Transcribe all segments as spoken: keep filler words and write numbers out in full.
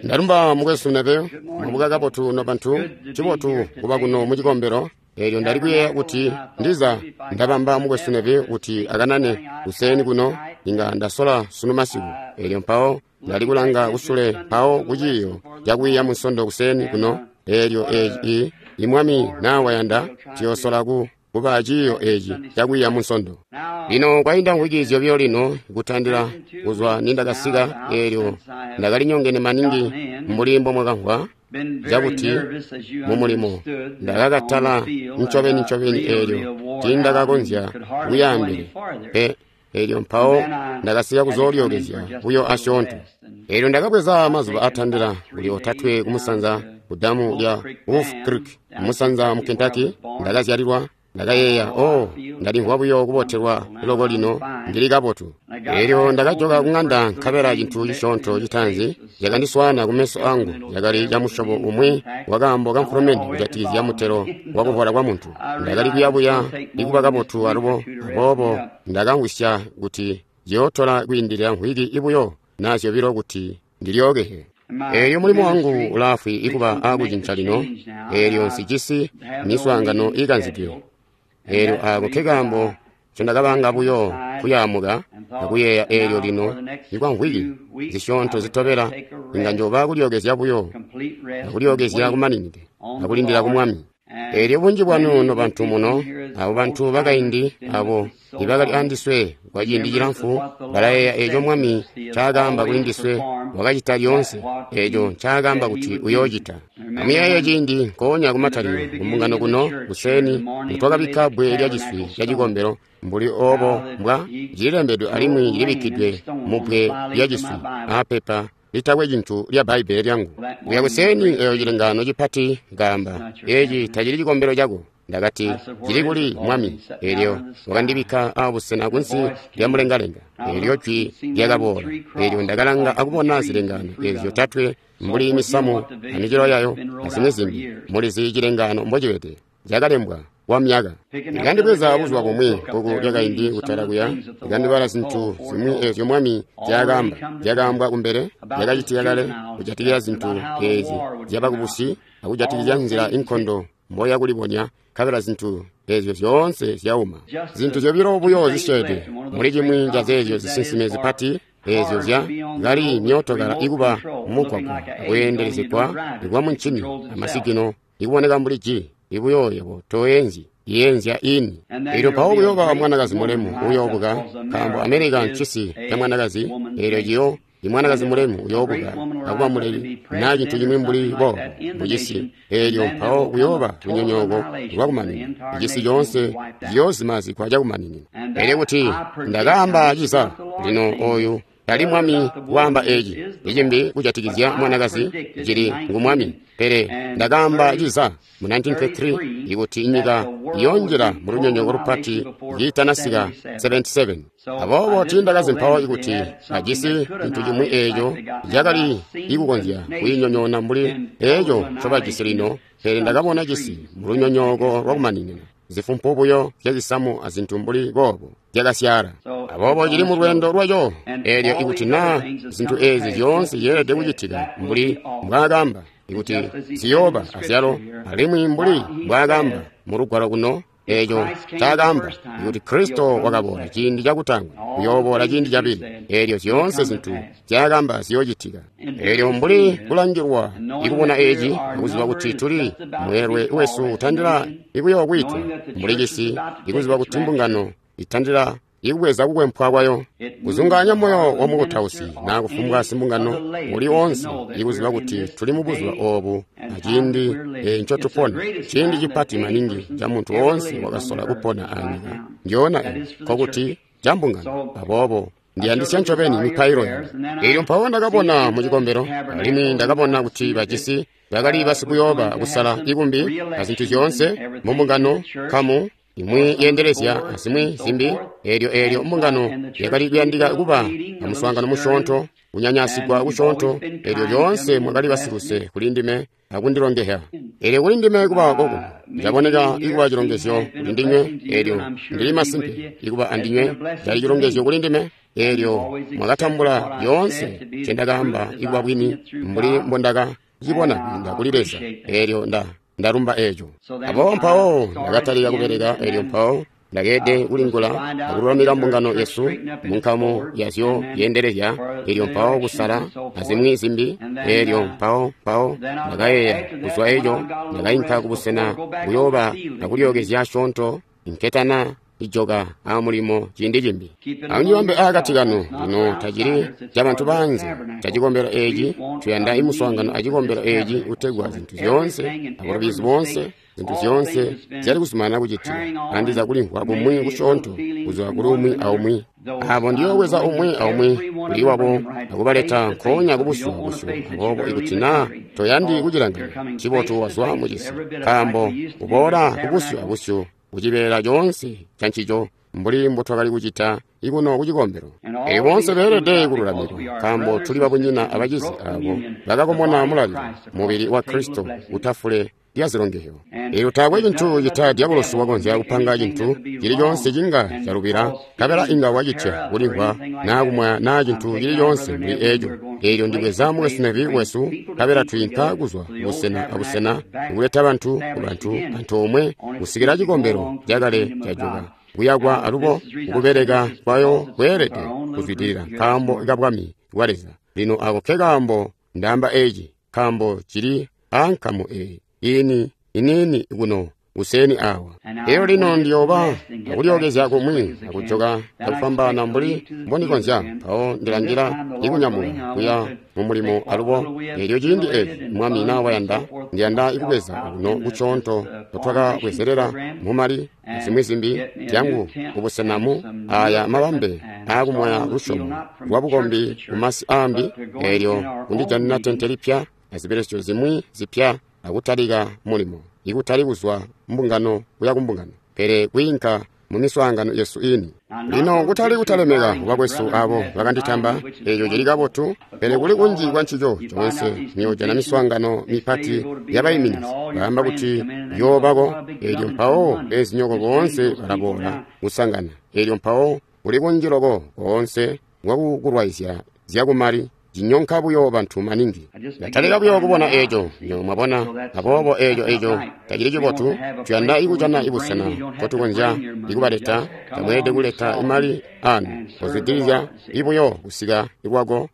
Ndalumba mukwesu Neville, mwabuka kabotu nobantu, cibotu kuba kuno mucikombelo. Eelyo ndali kuyeeya kuti ndiza ndabamba mukwesu Neville kuti akanane kuseeni kuno, inga ndasola sunu masiku. Eelyo mpawo ndali kulanga kusule mpawo ku ciiyo cakwiiya Munsondo kuseeni kuno. Eelyo eci i Mwami naa wayanda tuyoosola ku kuba ciiyo eci cakwiiya Munsondo. Lino kwainda mvwiki zyobilo lino kutandila kuzwa nindakasika, eelyo ndakalinyongene maningi mbuli mbomwakamvwa cakuti mumulimo ndakakatala ncobeni ncobeni, eelyo tiindakakonzya kuyaambele pe. Eelyo mpawo ndakasika kuzoolyookezya buyo asyoonto. Eelyo ndakabweza mazuba atandila kuli otatwe kumusanza ku damu lya Wolf Creek kumusanza mu Kentucky. Ndakazyalilwa. Ndakayeeya, oh, ndalimvwa buyo kubotelwa loko lino, ndili kabotu. Eelyo ndakajoka kuŋanda, nkabela cintu cisyoonto citaanzi cakandiswaana kumeso angu cakali camusyobo umwi wakaambo kamfulumende kujatikizya mutelo wakuvola kwa muntu. Ndakali kuyabuya ikuba kabotu alubo, aboobo ndakamvwisya kuti ciyootola kwiindilila mvwiki ibuyo naa zyobilo kuti ndilyookehe. Eelyo mulimo wangu ulaafwi ikuba aakucinca lino, eelyo nsijisi miswaangano iikanzidwe. Eelyo aako nkekaambo ncondakabanga buyo kuyaamuka akuyeeya. Eelyo lino ikwa mvwiki zisyoonto zitobela inga njooba kulyookezya buyo akulyookezya kumaninide akulindila ku Mwami. Eelyo bunji bwanu nobantu muno, abo bantu bakaindi abo ibakali andiswe kwa ciindi cilamfu, balayeeya eeco Mwami ncaakaamba kuli ndiswe, wakacita lyoonse eeco ncaakaamba kuti uyoocita. Amuyeeye ciindi nkoonya kumatalikilo kumbungano kuno kuseeni nitwakabikka bbwe lyaciswi cacikombelo mbuli oobo mbwa cililembedwe alimwi cilibikkidwe mubbwe lyaciswi aapepa litakwe cintu lya Bbaibbele lyangu. Kuya kuseeni eeyo cilengaano cipati kaamba, eeci tacili cikombelo cako. Ndakati, cili kuli Mwami? Eelyo wakandibikka abusena kunsi lya mulengalenga. Eelyo jwi lyakaboola. Eelyo ndakalanga akubona zilengaano eezyo zyotatwe mbuli misamu amicelo yayo azimwi zimbi. Mulizi cilengaano mbocibede, cakalembwa kwa myaka. Likandibweza buzuba bumwi bbuku lyakaindi kutala kuya, likandibala zintu zimwi eezyo Mwami zyaakaamba, zyakaambwa kumbele, zyakacitika kale kujatikizya zintu eezi zyabakubusi akujatikizya nzila inkondo mboya kulibonya, nkabela zintu eezyo zyoonse zyauma. Zintu zyobilo buyo zisyeede muli cimwi cazeezyo zisinsime zipati eezyo zya kali myootokala ikuba mumugwagwa akweendelezegwa kwa muncini amasigino ikuboneka mbuli ji ibuyo yebo toenzyi yeenzya ini. Eelyo mpawo kuyooba mwanakazi mulemu uyoobuka, nkaambo America ncisi ca mwanakazi. Eelyo ciyo imwanakazi mulemu uyoobuka akuba muleli naa cintu cimwi mbuli boobo mucisi. Eelyo mpawo kuyooba lunyonyooko lwakumaninina, icisi coonse ciyoozimazigwa cakumaninina. Eelyo kuti ndakaamba ciza lino, ooyu tali Mwami waamba eci icimbi kujatikizya mwanakazi, cili ngu Mwami. Pele ndakaamba ciza mu nineteen thirty-three ikuti inyika iyoonjila mu lunyonyooko lupati kiitanasika seventy-seven. Aboobo tiindakazi mpawo ikuti ajisi cintu cimwi eeco cakali ikukonzya kuyinyonyoona mbuli eeco ncobajisi lino, pele ndakabona cisi mu lunyonyooko lwakumaninina, zifumpu buyo zyazisamu azintu mbuli boobo zyakasyaala. Aboobo cili mu lweendo lwaco. Eelyo ikuti naa zintu eezi zyoonse zyeelede kucitika mbuli mbwaakaamba ikuti ziyooba azyalo, alimwi mbuli mbwaakaamba mu lugwalo kuno, eeco ncaakaamba ikuti Kristo wakaboola ciindi cakutaanguna, uyooboola ciindi cabili. Eelyo zyoonse zintu zyaakaamba ziyoocitika. Eelyo mbuli kulangilwa ikubona eeci akuziba kuti tuli mweelwe wesu utandila ikuyookwiitwa mbuli cisi, ikuziba kuti mbungano itandila ikubweza kukwempwa kwayo, kuzungaanya moyo wa mukutausi naa kufumbwa simbungano uli oonse ikuziba kuti tuli mubuzuba oobu aciindi ncotupona, ciindi cipati maningi ca muntu woonse wakasola kupona anyika ndyona eyi, nkokuti ca mbungano. Aboobo ndiyandisya ncobeni mipailo yanu. Eelyo mpawo ndakabona mu cikombelo, alimwi ndakabona kuti bajisi bakali basikuyooba kusala ikumbi azintu zyoonse mumbungano kamu imwi yeendelezya azimwi zimbi. Eelyo eelyo mbungano yakali kuyandika kuba amuswaangano musyoonto, kunyanyasigwa kusyoonto. Eelyo lyoonse mwakali basiluse kuli ndime akundilongehya. Elyo kuli ndime kuba kokuno, caboneka ikuba cilongezyo kuli ndinywe, elyo ndili masimpe ikuba andinywe cali cilongezyo kuli ndime. Elyo mwakatambula yoonse ncendakaamba ikuba bwini mbuli mbondaka cibona kwiinda kuli Leza. Elyo nda ndalumba eco. Aboobo mpawo ndakatalika kubeleka, elyo mpawo ndakeede kulingula akululamika mbungano yesu munkamu yazyo yeendelezya, elyo mpawo kusala azimwi zimbi. Elyo mpawo mpawo ndakayeeya kuzwa eco ndakainka kubusena buyooba akulyookezya asyoonto nketana ijoka amulimo ciindi cimbi. Amujibambe aakati kanu lino tacili cabantu banze cacikombelo eci. Tuyanda imuswaangano acikombelo eci utegwa zintu zyoonse abulubizi boonse, zintu zyoonse zyali kuzumanana kucitika, andiza kulimvwa kumwi kusyoonto kuzwa kuli umwi aumwi. Abo ndiyoobweza umwi aumwi kuli wabo akubaleta nkoonya kubusyu abusyu. Aboobo ikuti naa toyandi kucilanganya, ncibotu wazwa mucisi, nkaambo uboola kubusyu abusyu kucibeela coonse cancico mbuli mbotwakali kucita ikuno kucikombelo. Elyo boonse beelede kululamikwa, nkaambo tuli babunyina abacizi abo bakakomona mulalilo, mubili wa Kristo utafule lya zilongehyo. Elyo taakwe cintu cita dyabulosi wakonzya kupanga cintu cili coonse cinga calubila, nkabela inga wacitya kulimvwa naa kumwaya naa cintu cili coonse mbuli eco. Elyo ndibweza mukwesu Neville wesu, nkabela twiinka kuzwa busena abusena kuleta bantu kubantu antoomwe kusikila cikombelo cakale cajuka kuyakwa alubo kubeleka kwayo kweelede kuzwidilila nkaambo kabwami bwa Leza. Lino ako ke kaambo ndaamba eci, nkaambo cili aankamu eyi ini inini kuno kuseni awa. Elyo lino ndiyooba akulyookezya kumwi akujoka akufwambaana mbuli mbondikonzya, mpawo ndilangila ikunyamuka kuya mumulimo alubo. Elyo ciindi eci Mwami naa wayanda, ndiyanda ikubweza kuno kucoonto twakabwezelela mumali zimwi zimbi zyangu kubusenamu aya mabambe aakumwaya lusyomo lwabukombi kumasi aambi. Elyo kundijanina tente lipya azibelesyo zimwi zipya akutalika mulimo, ikutali kuzwa mbungano kuya kumbungano, pele kwiinka mumiswaangano yesu ini. Lino kutali kutalemeka bakwesu abo bakanditamba, eco cili kabotu, pele kuli kunji kwa ncico coonse niyoojana miswaangano mipati yabaiminizi baamba kuti yoobako. Elyo mpawo beezinyoko boonse balaboola kusangana. Elyo mpawo kuli kunji loko koonse kwakukulwaizya zyakumali cinyonka buyo bantu maningi. Ndatalika buyo kubona eco, nyo mwabona. Aboobo eco eco tacili cibotu. Tuyanda ikujana ibusena nkotukonzya ikubaleta. Tamweelede kuleta imali anu, kozwidilizya ibuyo kusika ikwako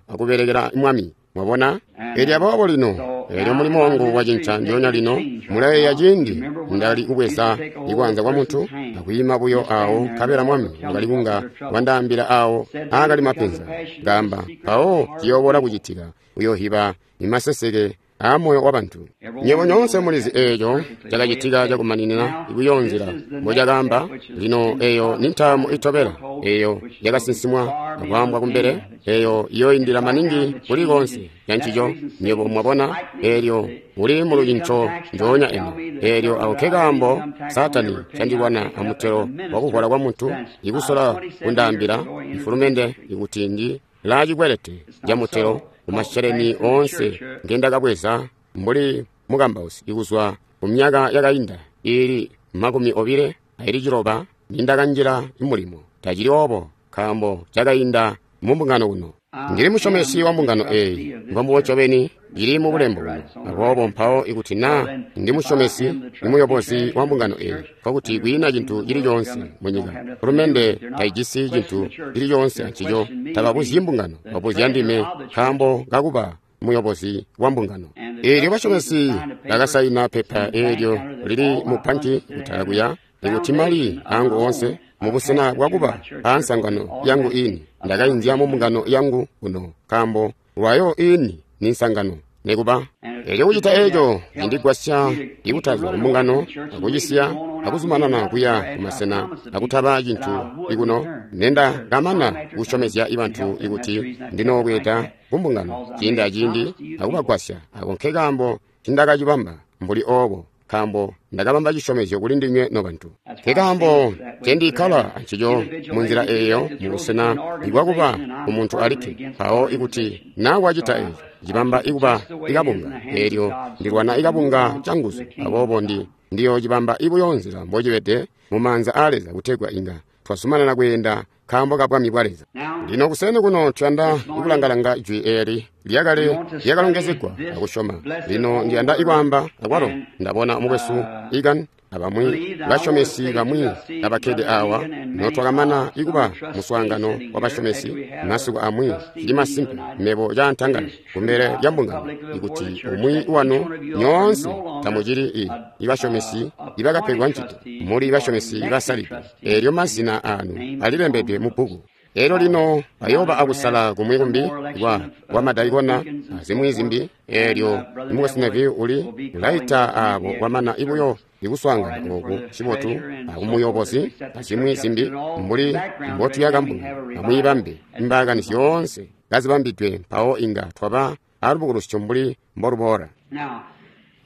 akubelekela Mwami. Mwabona? Elyo aboobo lino, elyo mulimo wangu wacinca ndyoonya lino. Mulayeeya ciindi ndali kubweza ikwanza kwa muntu akwiima buyo awo, nkabela Mwami wakali kunga wandaambila awo aakali mapenzi ngamba mpawo ciyoobola kucitika, uyohiba imaseseke aamoyo wa bantu. Nywebo nyoonse mulizi eeco cakacitika cakumaninina ikuyo nzila mbocakaamba. Lino eyo ni ntaamu itobela eyo yakasinsimwa akwaambwa kumbele, eyo iyooindila maningi kuli koonse cancico. Nywebo mwabona, eelyo uli mu lucinco njoonya eno. Eelyo ako ke kaambo Saatani candilwana amutelo wakuvola kwa muntu, ikusola kundaambila mfulumende ikuti ndi laacikwelete camutelo kumasheleni oonse ngendakabweza mbuli mukambausi ikuzwa kumyaka yakainda iili makumi obile aili ciloba nindakanjila mulimo. Tacili obo, nkaambo cakainda mumbungano kuno. Ndili musyomesi wa mbungano eyi, mbombubo ncobeni ili mubulembo buno. Aboobo mpawo ikuti naa ndi musyomesi, ndi muyobozi wa mbungano eyi, nkokuti kwiina cintu cili coonse munyika. Fulumende taijisi cintu cili coonse ancico. Tababuzyi mbungano, babuzya ndime nkaambo kakuba muyobozi wa mbungano. Eelyo basyomesi bakasaina pepa eelyo lili mu panki kutala kuya, ikuti mali angu oonse mubusena bwakuba aansangano yangu ini, ndakainzya mu mbungano yangu kuno, nkaambo lwayo ini ni nsangano nekuba. Elyo kucita eco cindigwasya ikutazwa kumbungano akucisiya akuzumanana kuya kumasena akutaba cintu ikuno. Nenda kamana kusyomezya ibantu ikuti ndinoobweeda kumbungano ciindi aciindi akubagwasya. Ako nkekaambo cindakacibamba mbuli oobo, nkaambo ndakabamba cisyomezyo kuli ndinywe nobantu. Nkekaambo ncendikkala ancico munzila eeyo mubusena ibwakuba umuntu alikke. Mpawo ikuti naa wacita eeco, cibamba ikuba ikabunga. Eelyo ndilwana ikabunga canguzu, aboobo ndi ndiyo cibamba ibuyo nzila mbocibede mu maanza aa Leza kutegwa inga twazumanana kweenda nkaambo ka bwami bwa Leza. Lino kuseeni kuno tuyanda ikulangalanga jwi eeli lyakale lyakalongezegwa akusyoma. Lino ndiyanda ikwaamba akwalo ndabona mukwesu Egan abamwi basyomesi bamwi abakkede awa notwakamana ikuba muswaangano wabasyomesi masiku amwi. Cili masimpe mebo cantangala kumbele lya mbungano ikuti umwi wanu nyoonse tamucili ibasyomesi ibakapegwa ncito, muli basyomesi basalidwe. Eelyo mazina aanu alilembedwe mu bbuku. Eelyo lino bayooba akusala kumwi kumbi kwa kwa madaikona azimwi zimbi. Eelyo mukwesu Neville uli ulaita aabo kwamana ibuyo ikuswaangana oku cibotu akumuyobozi azimwi zimbi mbuli mbotuyaka mbungano. Amwiibambe imbaakani zyoonse kazibambidwe, mpawo inga twaba alubukulusyo mbuli mboluboola.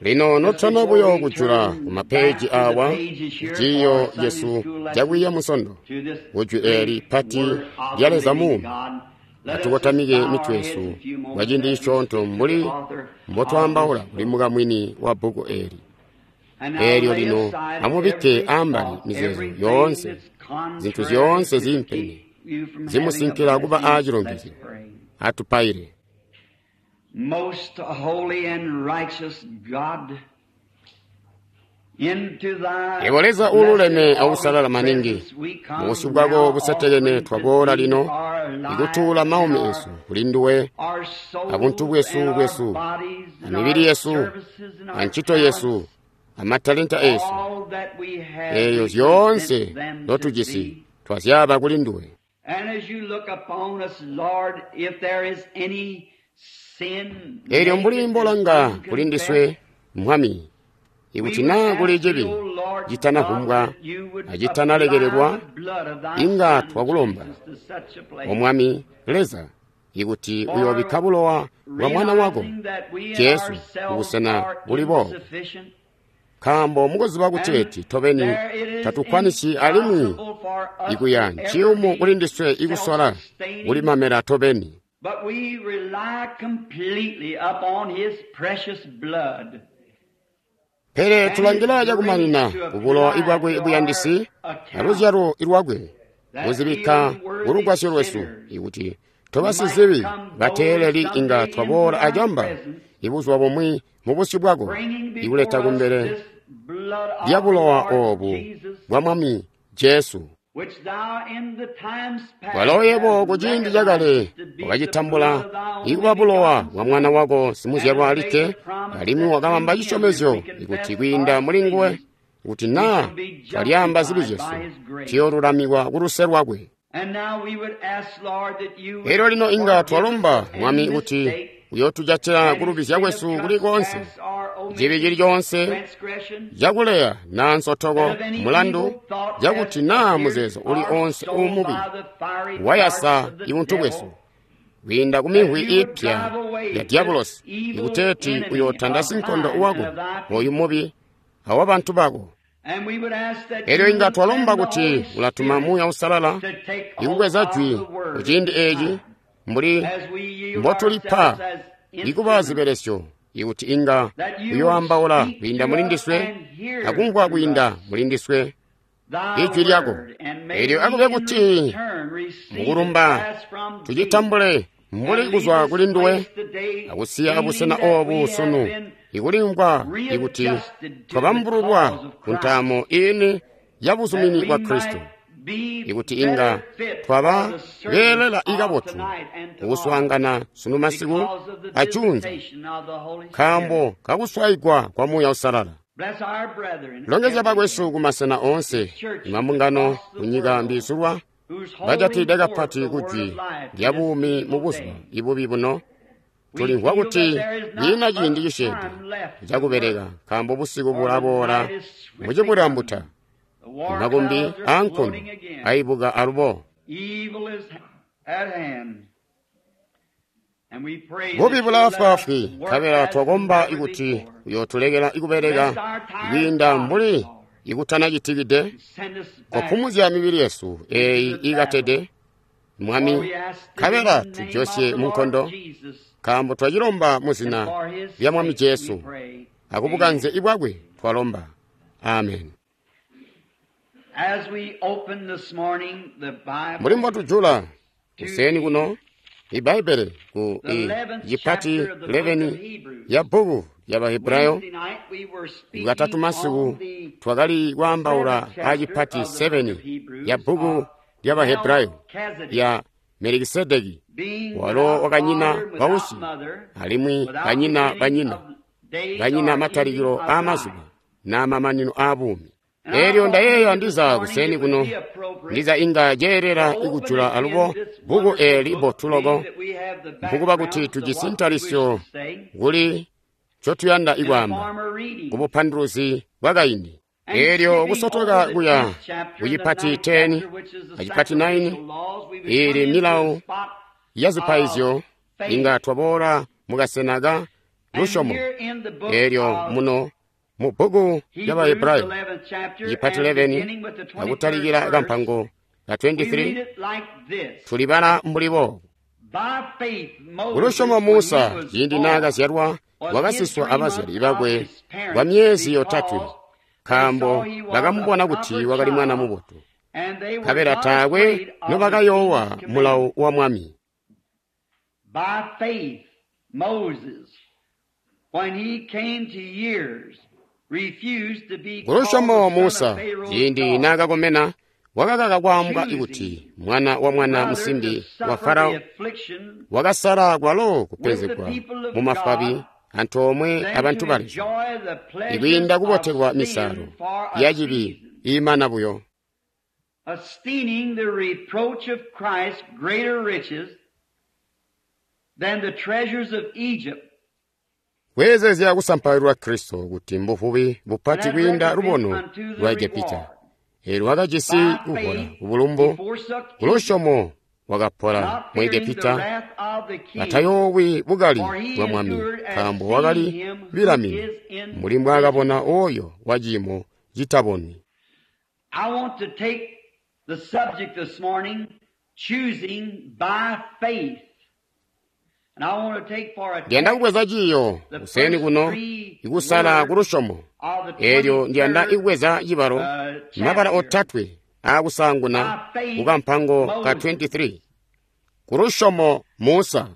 Lino notana buyo kujula kumapeeji awa ciiyo cesu cakwiiya Musondo kujwi eeli pati lya Leza muumi, atukotamike mitwe yesu kwa ciindi cisyoonto mbuli mbotwaambaula kuli mukamwini wa bbuku eeli. Eelyo lino amubikke ambali mizeezo yoonse, zintu zyoonse ziimpene zimusinkila kuba aacilongezyo. Atupaile. Most holy and righteous God, into thy Yebo Leza uululeme awusalala maningi, mubusyu bwako busetekene twaboola lino ikutuula maumi esu kuli nduwe, abuntu bwesu bwesu, amibili yesu, ancito yesu, amatalenta esu, eeyo zyoonse notujisi twazyaaba kuli nduwe. And as you look upon us, Lord, if there is any sin Eelyo mbuli mbolanga kuli ndiswe, Mwami, ikuti naa kuli cibi citanavumbwa acitanalekelelwa, inga twakulomba, O Mwami Leza, ikuti uyoobikka bulowa bwa Mwana wako Jesu kubusena buli boobo, nkaambo mukuziba kuteeti tobeni tatukwanisi alimwi ikuya nciyumu kuli ndiswe ikusola kulimamela tobeni. But we rely completely upon His precious blood. Pele tulangila cakumanina kubulowa ibwakwe buyandisi aluzyalo lwakwe buzibikka kulugwasyo lwesu, ikuti tobasizibi bateeleli inga twaboola acamba ibuzuba bumwi mu busyu bwako, ikuleta kumbele lya bulowa oobu bwa Mwami Jesu. Which thou in the times past Walo yebo kuciindi cakale wakacitambula ikuba bulowa bwa Mwana wako simuzyalwa alikke, alimwi wakabamba cisyomezyo ikuti kwiinda muli nguwe, kuti naa twalyaamba zibi zyesu tuyoolulamikwa kuluse lwakwe. And now we would ask, Lord, that you would Eelyo lino inga twalomba, forgive us Mwami, any kuti mistake, uyootujatila any kulubizya sin of kwesu kuli konse, trespass or omission, cibi cili coonse transgression, cakuleya naa nsotoko and of any mulandu, evil thought cakuti as naa appeared muzeezo uli our onse soul uumubi by the fiery wayasa darts of the ibuntu devil, bwesu kwiinda ku mihwi ipya ya diabulosi, ikuteeti uyootanda sinkondo wako oyu mubi awa bantu bako. And we would ask that Eelyo you inga would twalomba send the kuti Holy ulatuma Spirit Muuya Uusalala to take hold ikubweza of jwi the word kuciindi eeci mbuli as we yield mbotulipa ourselves as ikuba instruments zibelesyo, ikuti inga that you uyoambaula would speak kwiinda to muli us ndiswe and hear akumvwa through kwiinda us muli ndiswe thy ijwi lyako. word, and may Eelyo we akube in kuti return receive it mukulumba as from thee, tucitambule mbuli and leave kuzwa this kuli nduwe place today akusiya feeling abusena that we obu have sunu been ikulimvwa ikuti readjusted to the twabambululwa cause of ku Christ, ntaamo iini ya that buzumini we bwa Kristo, might be ikuti inga better fit twaba for the service beelela of ikabotu tonight and tomorrow kukuswaangana sunu masiku because of the acuunza, visitation of the Holy Spirit. nkaambo kakuswayigwa kwa Muuya Uusalala. Bless our brethren Longezya everywhere bakwesu kumasena oonse imambungano kunyika mbiisulwa who's holding bajatide forth kapati the word kujwi of life lya in this buumi mu evil buzuba day. ibubi buno. We Tulimvwa feel kuti that there is not kwiina ciindi much cisyeede time left to cakubeleka, work, nkaambo busiku for the bulaboola night is swiftly mucibulambuta, coming. The war makumbi clouds are aankondo floating again. aibuka alubo. Evil is at hand. And we pray Bubi that you'll let us bulaafwaafwi, work nkabela as twakomba never ikuti before. uyootulekela ikubeleka Bless our tired kwiinda bodies, mbuli Lord. ikutanacitikide, And send us back kopumuzya mibili yesu eeyi into the ikatede, battle. For Mwami, we ask it nkabela in the name of tujosye the mu Lord nkondo, Jesus. Nkaambo twacilomba mu zina lya Mwami Jesu, akubukanze ibwakwe twalomba. Amen. Mbuli mbotujula kuseeni kuno iBbaibele ku cipati eleven ya bbuku lya Bahebrayo, Lwatatu masiku twakali kwaambaula a cipati seven ya bbuku lya Bahebrayo ya Melikisedeki, walo wakanyina bausyi alimwi kanyina banyina, kanyina matalikilo aamazuba na mamanino aabuumi. Eelyo ndayeeya ndiza kuseeni kuno, ndiza inga ceelela ikujula alubo bbuku eeli bbotu loko, mpukuba kuti tujisi ntalisyo kuli ncotuyanda ikwaamba kubupanduluzi bwakaindi. Eelyo kusotoka kuya kucipati ten acipati nine ili milawo ya zipaizyo, inga twaboola mukasena ka lusyomo. Eelyo muno mu bbuku lya Bahebrayo cipati eleven akutalikila kampango ka twenty-three tulibala mbuli boobu: Kulusyomo Musa ciindi naakazyalwa wakasiswa abazyali bakwe kwa myezi yotatwe, nkaambo bakamubona kuti wakali mwana mubotu, nkabela taakwe nobakayoowa mulawo wa mwami. By faith, Moses, when he came to years, refused to be Kulusyomo called the son Musa of Pharaoh's ciindi daughter, naakakomena wakakaka kwaambwa kuti mwana wa mwana rather musimbi to wa suffer Farao, the affliction wakasala kwalo with the kupenzegwa people of mu mafabi God antoomwe than abantu to ba Leza, enjoy the pleasures ikwiinda of kubotelwa misalo sin for a ya cibi season, iimana buyo, esteeming the reproach of Christ greater riches than the treasures of Egypt, kweezezya kusampaulwa Kristo kuti mbuvubi and bupati had kwiinda recompense lubono unto the lwa Egepita. reward. Eelyo wakajisi By kuvola faith kubulumbu, he forsook Egypt, kulusyomo wakapola not mu fearing the Egepita, wrath of the king, atayoowi bukali for he bwa mwami, endured as nkaambo seeing wakali him who bilamini is mbuli mbwaakabona oyo wa ciimo citabonwi. I want to take the subject this morning, choosing by faith. And I want to take for a Ndiyanda text kubweza ciiyo the kuseeni first kuno three ikusala words kulusyomo. of the Eelyo ndiyanda twenty-third ikubweza cibalo uh, mabala chapter. otatwe aakusaanguna By faith, kukampango ka Moses. twenty-three. Kulusyomo Musa.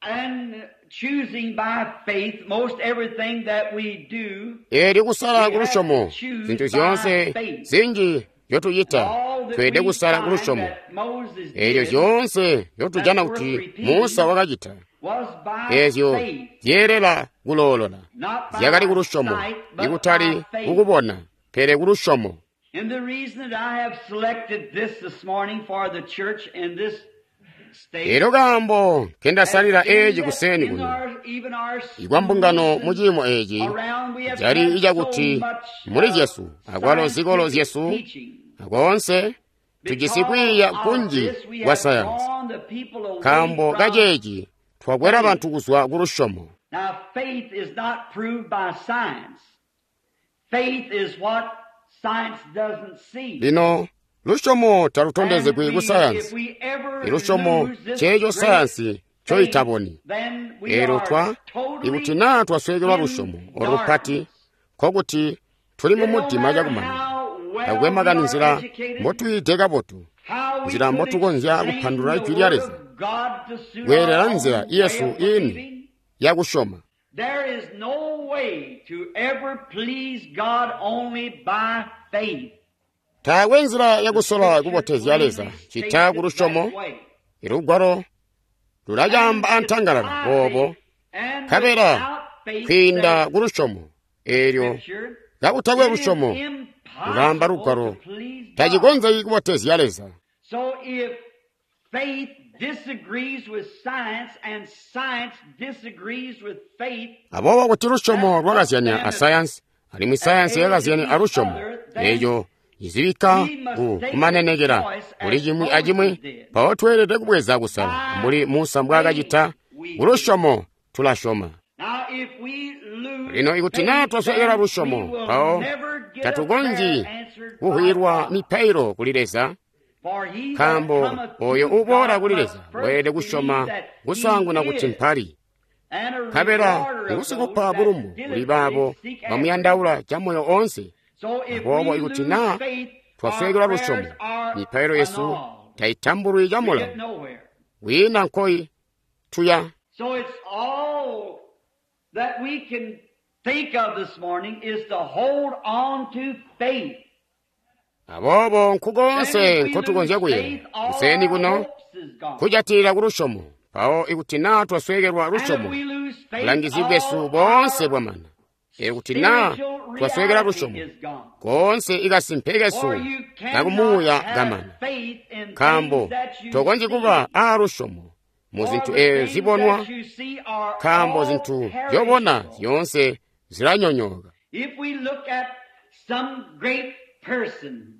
And choosing by faith, most everything that we do, Eelyo kusala we have to kulusyomo choose zinthu by zyoonse faith. zinji zyotuchita All that tweelede we kusala find kulusyomo. that Moses Eelyo did zyoonse zyotujana that's worth kuti repeating Musa wakacita, was by eezyo faith, zyeelela kuloolola not zyakali by kulusyomo, sight, but ikutali by faith. kukubona, pele kulusyomo. And the reason that I have selected this this morning for the church in this state Eelyo kaambo has nkendasalila been eeci that kuseeni in kuno, our, even our ikwa mbungano schools mu and ciimo eeci around, we have cali had so icakuti much muli uh, zyesu akwalo zikolo scientific zyesu teaching. akoonse tujisi Because kwiiya of kunji this, we kwa have sayansi. drawn the people away Nkaambo from kaceeci twakwela faith. bantu kuzwa kulusyomo. Now, faith is not proved by science. Faith is what science doesn't see. Lino lusyomo And talutondezegwi ku we, if sayansi. we ever Ilusyomo lose this ceeco great sayansi faith, ncoitaboni. then we Eelyo are twa ikuti totally naa twasweekelwa in lusyomo olo lupati, darkness. nkokuti tuli mu It don't mudima matter cakumanya. how well Takwe we makani are nzila educated, mbotuyide kabotu, how we nzila could mbotukonzya explain kupandulula the Ijwi lya Word Leza, of God to suit our kweelela nzila own way yesu of ini believing. yakusyoma. There is no way to ever please God only by faith. Taakwe nzila The yakusola Scripture kubotezya Leza plainly cita states ku it lusyomo. that way. Ilugwalo lulacaamba And it's antangalala by boobo, faith and nkabela without faith, kwiinda says ku lusyomo. Eelyo Scripture, kakutakwe it is lusyomo lulaamba impossible lugwalo to please God. tacikonzeki kubotezya Leza. So if faith disagrees with science and science disagrees with faith, Aboobo kuti lusyomo that puts lwakazyanya them a at, sayansi alimwi at sayansi edge with yakazyanya a each lusyomo, other, then eeco cizibikka we must ku take the kumanenekela choice kuli as cimwi acimwi, Moses did. mpawo tweelede kubweza kusala By mbuli Musa faith mbwaakacita. we Ku believe. lusyomo tulasyoma. Now if we lose Lino ikuti naa faith, twasweekela then we lusyomo, will mpawo never get a prayer tatukonzyi answered by kuhwilwa God. mipailo kuli Leza, For he that nkaambo cometh oyo to uboola God kuli must Leza first weelede believe kusyoma that he kusaanguna kuti is, mpali Nkabela ngusikupa bulumbu kuli baabo bamuyandaula camoyo oonse. Aboobo ikuti naa twasweekelwa lusyomo, mipailo yesu taitambulwi camulawo. Wiina nkoyi tuya. So it's all that we can think of this morning is to hold on to faith. Aboobo nkukoonse nkotukonzya kuyeeya kuseeni kuno kujatilila ku lusyomo. Mpawo ikuti naa twasweekelwa lusyomo, bulangizi bwesu boonse bwamana. Ikuti naa twasweekelwa lusyomo, koonse ikasimpe kesu kakumuuya kamana. Nkaambo tokonzyi kuba aa lusyomo mu zintu eezyo zibonwa, nkaambo zintu zyobona zyoonse zilanyonyooka. If we look at some great person,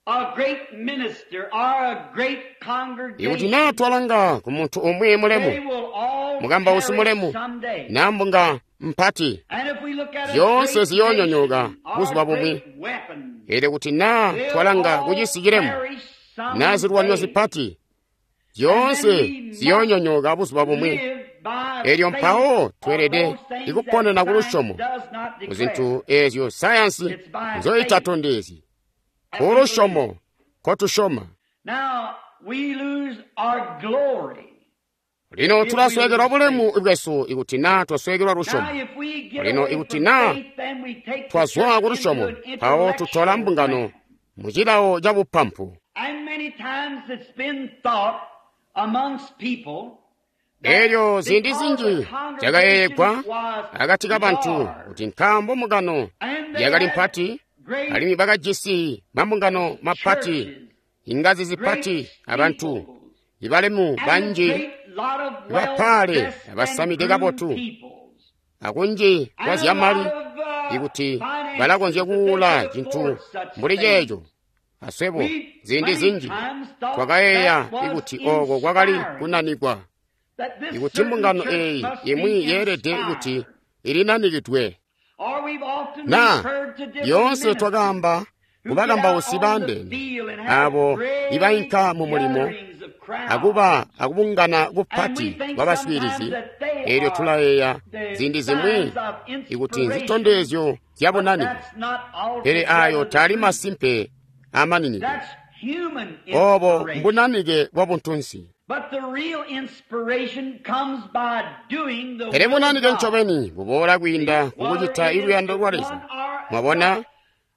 a great minister, or a great Ikuti congregation, naa twalanga ku muntu umwi mulemu, they will all mukambausi perish mulemu, someday. naa mbunga mpati, And if we look at a zyoonse great ziyoonyonyooka nation or buzuba bumwi. great weapon, Eelyo kuti naa they'll twalanga all ku cisi cilemu, perish naa zilwanyo someday. zipati, zyoonse ziyoonyonyooka buzuba bumwi. Live by Eelyo faith mpawo of tweelede those things ikuponena that ku lusyomo science does not ku declare. zintu eezyo sayansi It's by nzoyitatondezyi. faith Ku lusyomo kotusyoma. Now we lose our glory. Lino tulasweekelwa bulemu bwesu ikuti naa twasweekelwa lusyomo. Now if we get Lino away ikuti from naa faith, then we take the twazwa church ku lusyomo, into an mpawo tutola intellectual mbungano realm. mu cilawo ca bupampu. And many times it's been thought amongst people that Eelyo ziindi because zinji the congregation zyakayeeyegwa was akati kabantu large, kuti nkaambo mbungano and they yakali had mpati great alimwi bakajisi mambungano mapati, churches, ingazi great zipati abantu steeples, ibalemu and a banji great lot of ibapaale well-dressed and abasamide groomed kabotu peoples, akunji kwa and a zyamali lot of uh, ikuti finances balakonzya that they kuula could cintu afford such mbuli things. ceeco. Aswebo We ziindi many zinji times thought twakayeeya that was ikuti ooko kwakali inspiring, kunanikwa, that this ikuti certain mbungano church eeyi must be imwi yeelede kuti inspired. ilinanikidwe. Or we've often Naa referred to different lyoonse ministers twakaamba who get out kubakambausi on the baandeene field and have abo great ibainka mu mulimo gatherings of crowds. akuba akubungana And we kupati think kwa baswiilizi. sometimes that they Eelyo are tulayeeya the ziindi zimwi signs of ikuti inspiration, nzitondezyo zya but bunanike, that's not pele ayo altogether the taali truth. masimpe amaninike. That's human Obo inspiration. mbunanike bwa buntunsi. But the real inspiration comes by doing the Pele will of bunanike God. ncobeni buboola kwiinda Whether kukucita it is iluyando lwa one Leza. or Mwabona, just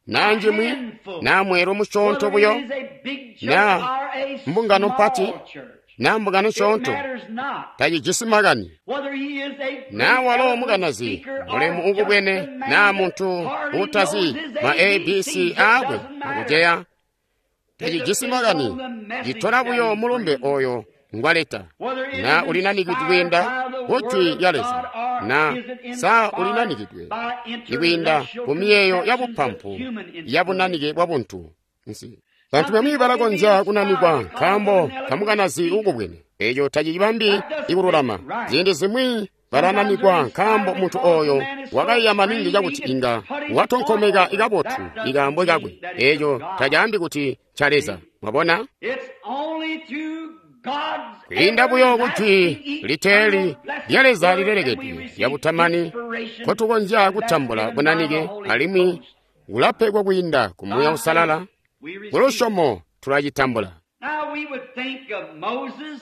naa a njimwi, handful, naa mweelo musyoonto whether buyo, it is a big church naa or a mbungano mpati, small church, naa mbungano it nsyoonto, matters not. tacijisi makani. Whether he is a great Naa walo eloquent mukanazi speaker mulemu or just ukubwene, a naa man that muntu hardly knows uutazi his ma A B Cs, A B C it aakwe doesn't matter. akuceya, It tacijisi depends makani. on the message Citola that buyo he mulumbe brings. oyo ngwaleta. Whether it Naa is ulinanikidwe inspired kwiinda by the ku Word Jwi of lya God Leza, or naa is it sa inspired ulinanikidwe by ikwiinda intellectual ku miyeeyo ya conceptions of bupampu human ya inspiration. bunanike bwa buntu nsi. Bantu Some bamwi people can be balakonzya inspired kunanikwa because of nkaambo an eloquent kamukanazi speaker. ukubwene, eeco tacicibambi That doesn't make ikululama. it right. Ziindi zimwi Sometimes they're balananikwa inspired nkaambo muntu because the oyo man is so wakaiya maningi trained he cakuti can inga put his point watonkomeka over. ikabotu That doesn't ikaambo kakwe, mean that it's of eeco God. tacaambi kuti nca Leza. See? Mwabona? It's only through God's Kwiinda buyo ku Jwi everlasting, liteeli eternal, blessed lya Leza Word that we lilelekedwe receive lya butamani inspiration, kotukonzya and that's kutambula given by the bunanike Holy alimwi Ghost. kulapegwa kwiinda ku Muuya By faith, Uusalala. we Ku receive it. lusyomo tulacitambula. Now we would think of Moses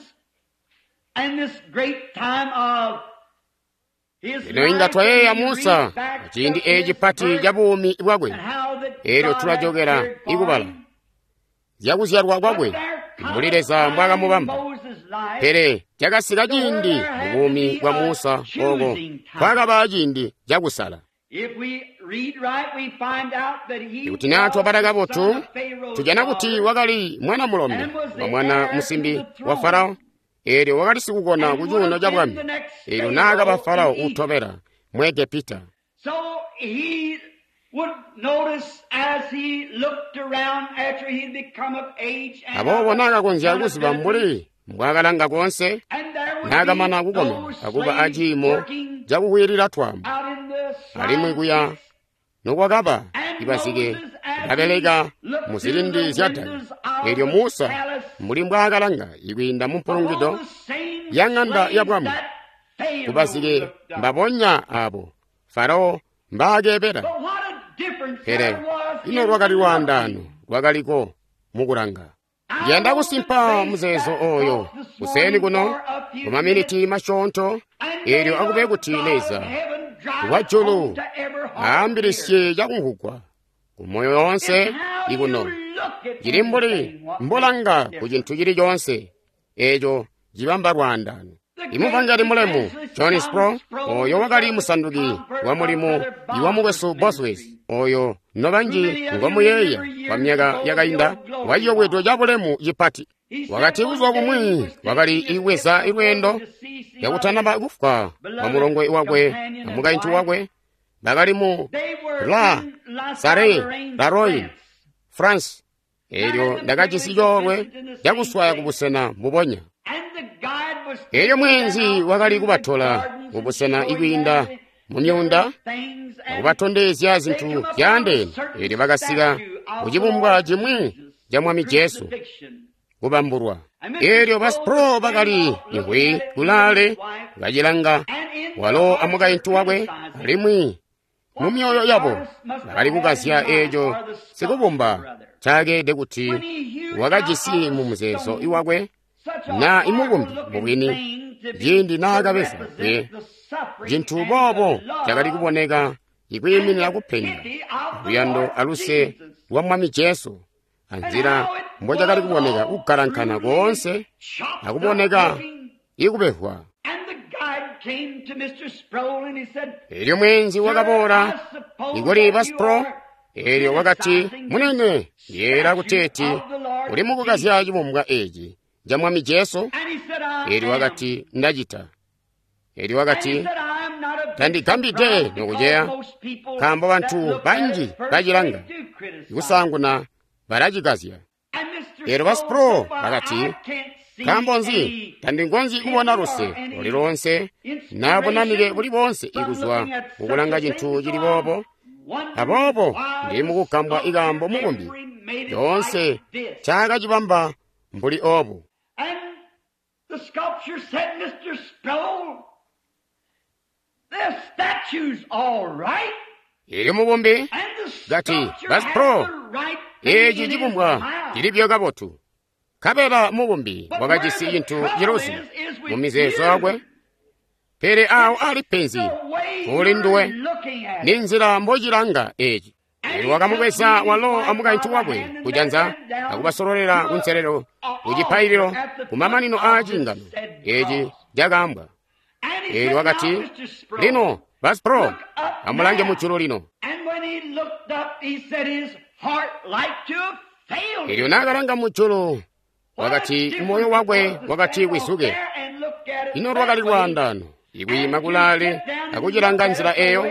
and this great time of his Lino inga life, and twayeeya we read Musa back to ciindi eeci his pati birth ca buumi bwakwe, and how that eelyo God had tulajokera cared for ikubala him. zyakuzyalwa But kwakwe there mbuli come a Leza time in mbwaakamubamba. Moses' life Pele cakasika to where ciindi there mu had to buumi be bwa a Musa ooko choosing time. kwakaba ciindi cakusala. If we read right, we find out that he Ikuti naa was twabala the son kabotu, of Pharaoh's tujana kuti daughter wakali mwana mulombe and was wa the mwana heir to musimbi the wa throne Farao, eelyo wakali sikukona and ku would cuuno have ca been bwami, the next eelyo naakaba Pharaoh Farao in Egypt. uutobela mu Egepita. So he would notice as he looked around after he'd become of age and Aboobo of naakakonzya kuziba accountability, mbuli mbwaakalanga koonse, and there would be naakamana kukomena those akuba slaves aciimo working cakukwilila twaambo, out in the alimwi slime kuya pits. nokwakaba And ibazike Moses, as he babeleka looked mu through zilindi the zya daka, windows of eelyo the Musa palace mbuli mbwaakalanga ikwiinda mu upon mpulungido the same ya ŋanda ya slaves bwami that Kubazike mbabonya abo Farao mbaakeebela. Pele ino lwakali lwaandaano lwakaliko mukulanga. Ndiyanda kusimpa muzeezo oyo kuseeni kuno kumaminiti masyoonto, eelyo akube kuti Leza wajulu aambilisye cakumvugwa kumoyo yoonse ikuno. Cili mbuli mbulanga ku cintu cili coonse eeco cibamba lwaandaano. Imuvangeli mulemu John Sproul, oyo wakali musanduki wa mulimu iwa mukwesu Bosworth, oyo nobanji ngomuyeeya kwa myaka yakainda, waciyobwedo ca bulemu cipati. Wakati buzuba bumwi wakali ibweza ilweendo yakutanaba kufwa kwa mulongwe wakwe na mukaintu wakwe, bakali mu La Sare La Roy France. Eelyo ndakajisi coolwe cakuswaya kubusena mbubonya. Eelyo mweenzi wakali kubatola kubusena ikwiinda mu myuunda akubatondezya zintu zyaandeene. Eelyo bakasika kucibumbwa cimwi ca Mwami Jesu kubambulwa. Eelyo ba Sproul bakali imvwi kulaale bacilanga walo amukaintu wakwe, alimwi mu myoyo yabo bakali kukazya eeco sikubumba caakeede kuti wakajisi mu muzeezo iwakwe na imubumbi mubwini ciindi naakabeza kwe cintu boobo cakali kuboneka ikwiiminira kupenga luyando aluse lwa Mwami Jesu, anzila mbocakali kuboneka kugalankana koonse akuboneka ikubehwa. Eelyo mweenzi wakaboola ikuli ba Sproul, eelyo wakati, "Munene, yeera kuteeti uli mukukazya cibumbwa eeci ca Mwami Jesu?" Eelyo wakati, "Ndacita." Eelyo wakati, "Tandigambide nokuceya, nkaambo bantu banji bacilanga kusaanguna balacikazya." Eelyo ba Sproul bakati, "Nkaambo nzi tandingonzi kubona luse luli loonse na bunanike buli boonse ikuzwa mukulanga cintu cili boobo? Aboobo ndili mukugambwa ikaambo mubumbi lyoonse ncaakacibamba mbuli obu." Eelyo mubumbi kati, "Ba Sproul, eeci cibumbwa cili buyo kabotu." Nkabela mubumbi wakajisi cintu ciluzi mu mizeezo yakwe. Pele awo ali penzi kuli nduwe ni nzila mbocilanga eeci. Eelyo wakamubweza walo amukaintu wakwe kujanza akubasololela kunselelo kucipaililo kumamanino aa ciingano eeci cakaambwa. Eelyo wakati, "Lino ba Sproul, amulange mujulu lino." Eelyo naakalanga mujulu wakati moyo wakwe wakati wizuke. Ino lwakali lwaandaano ikwiima kulaale akucilanga nzila eyo,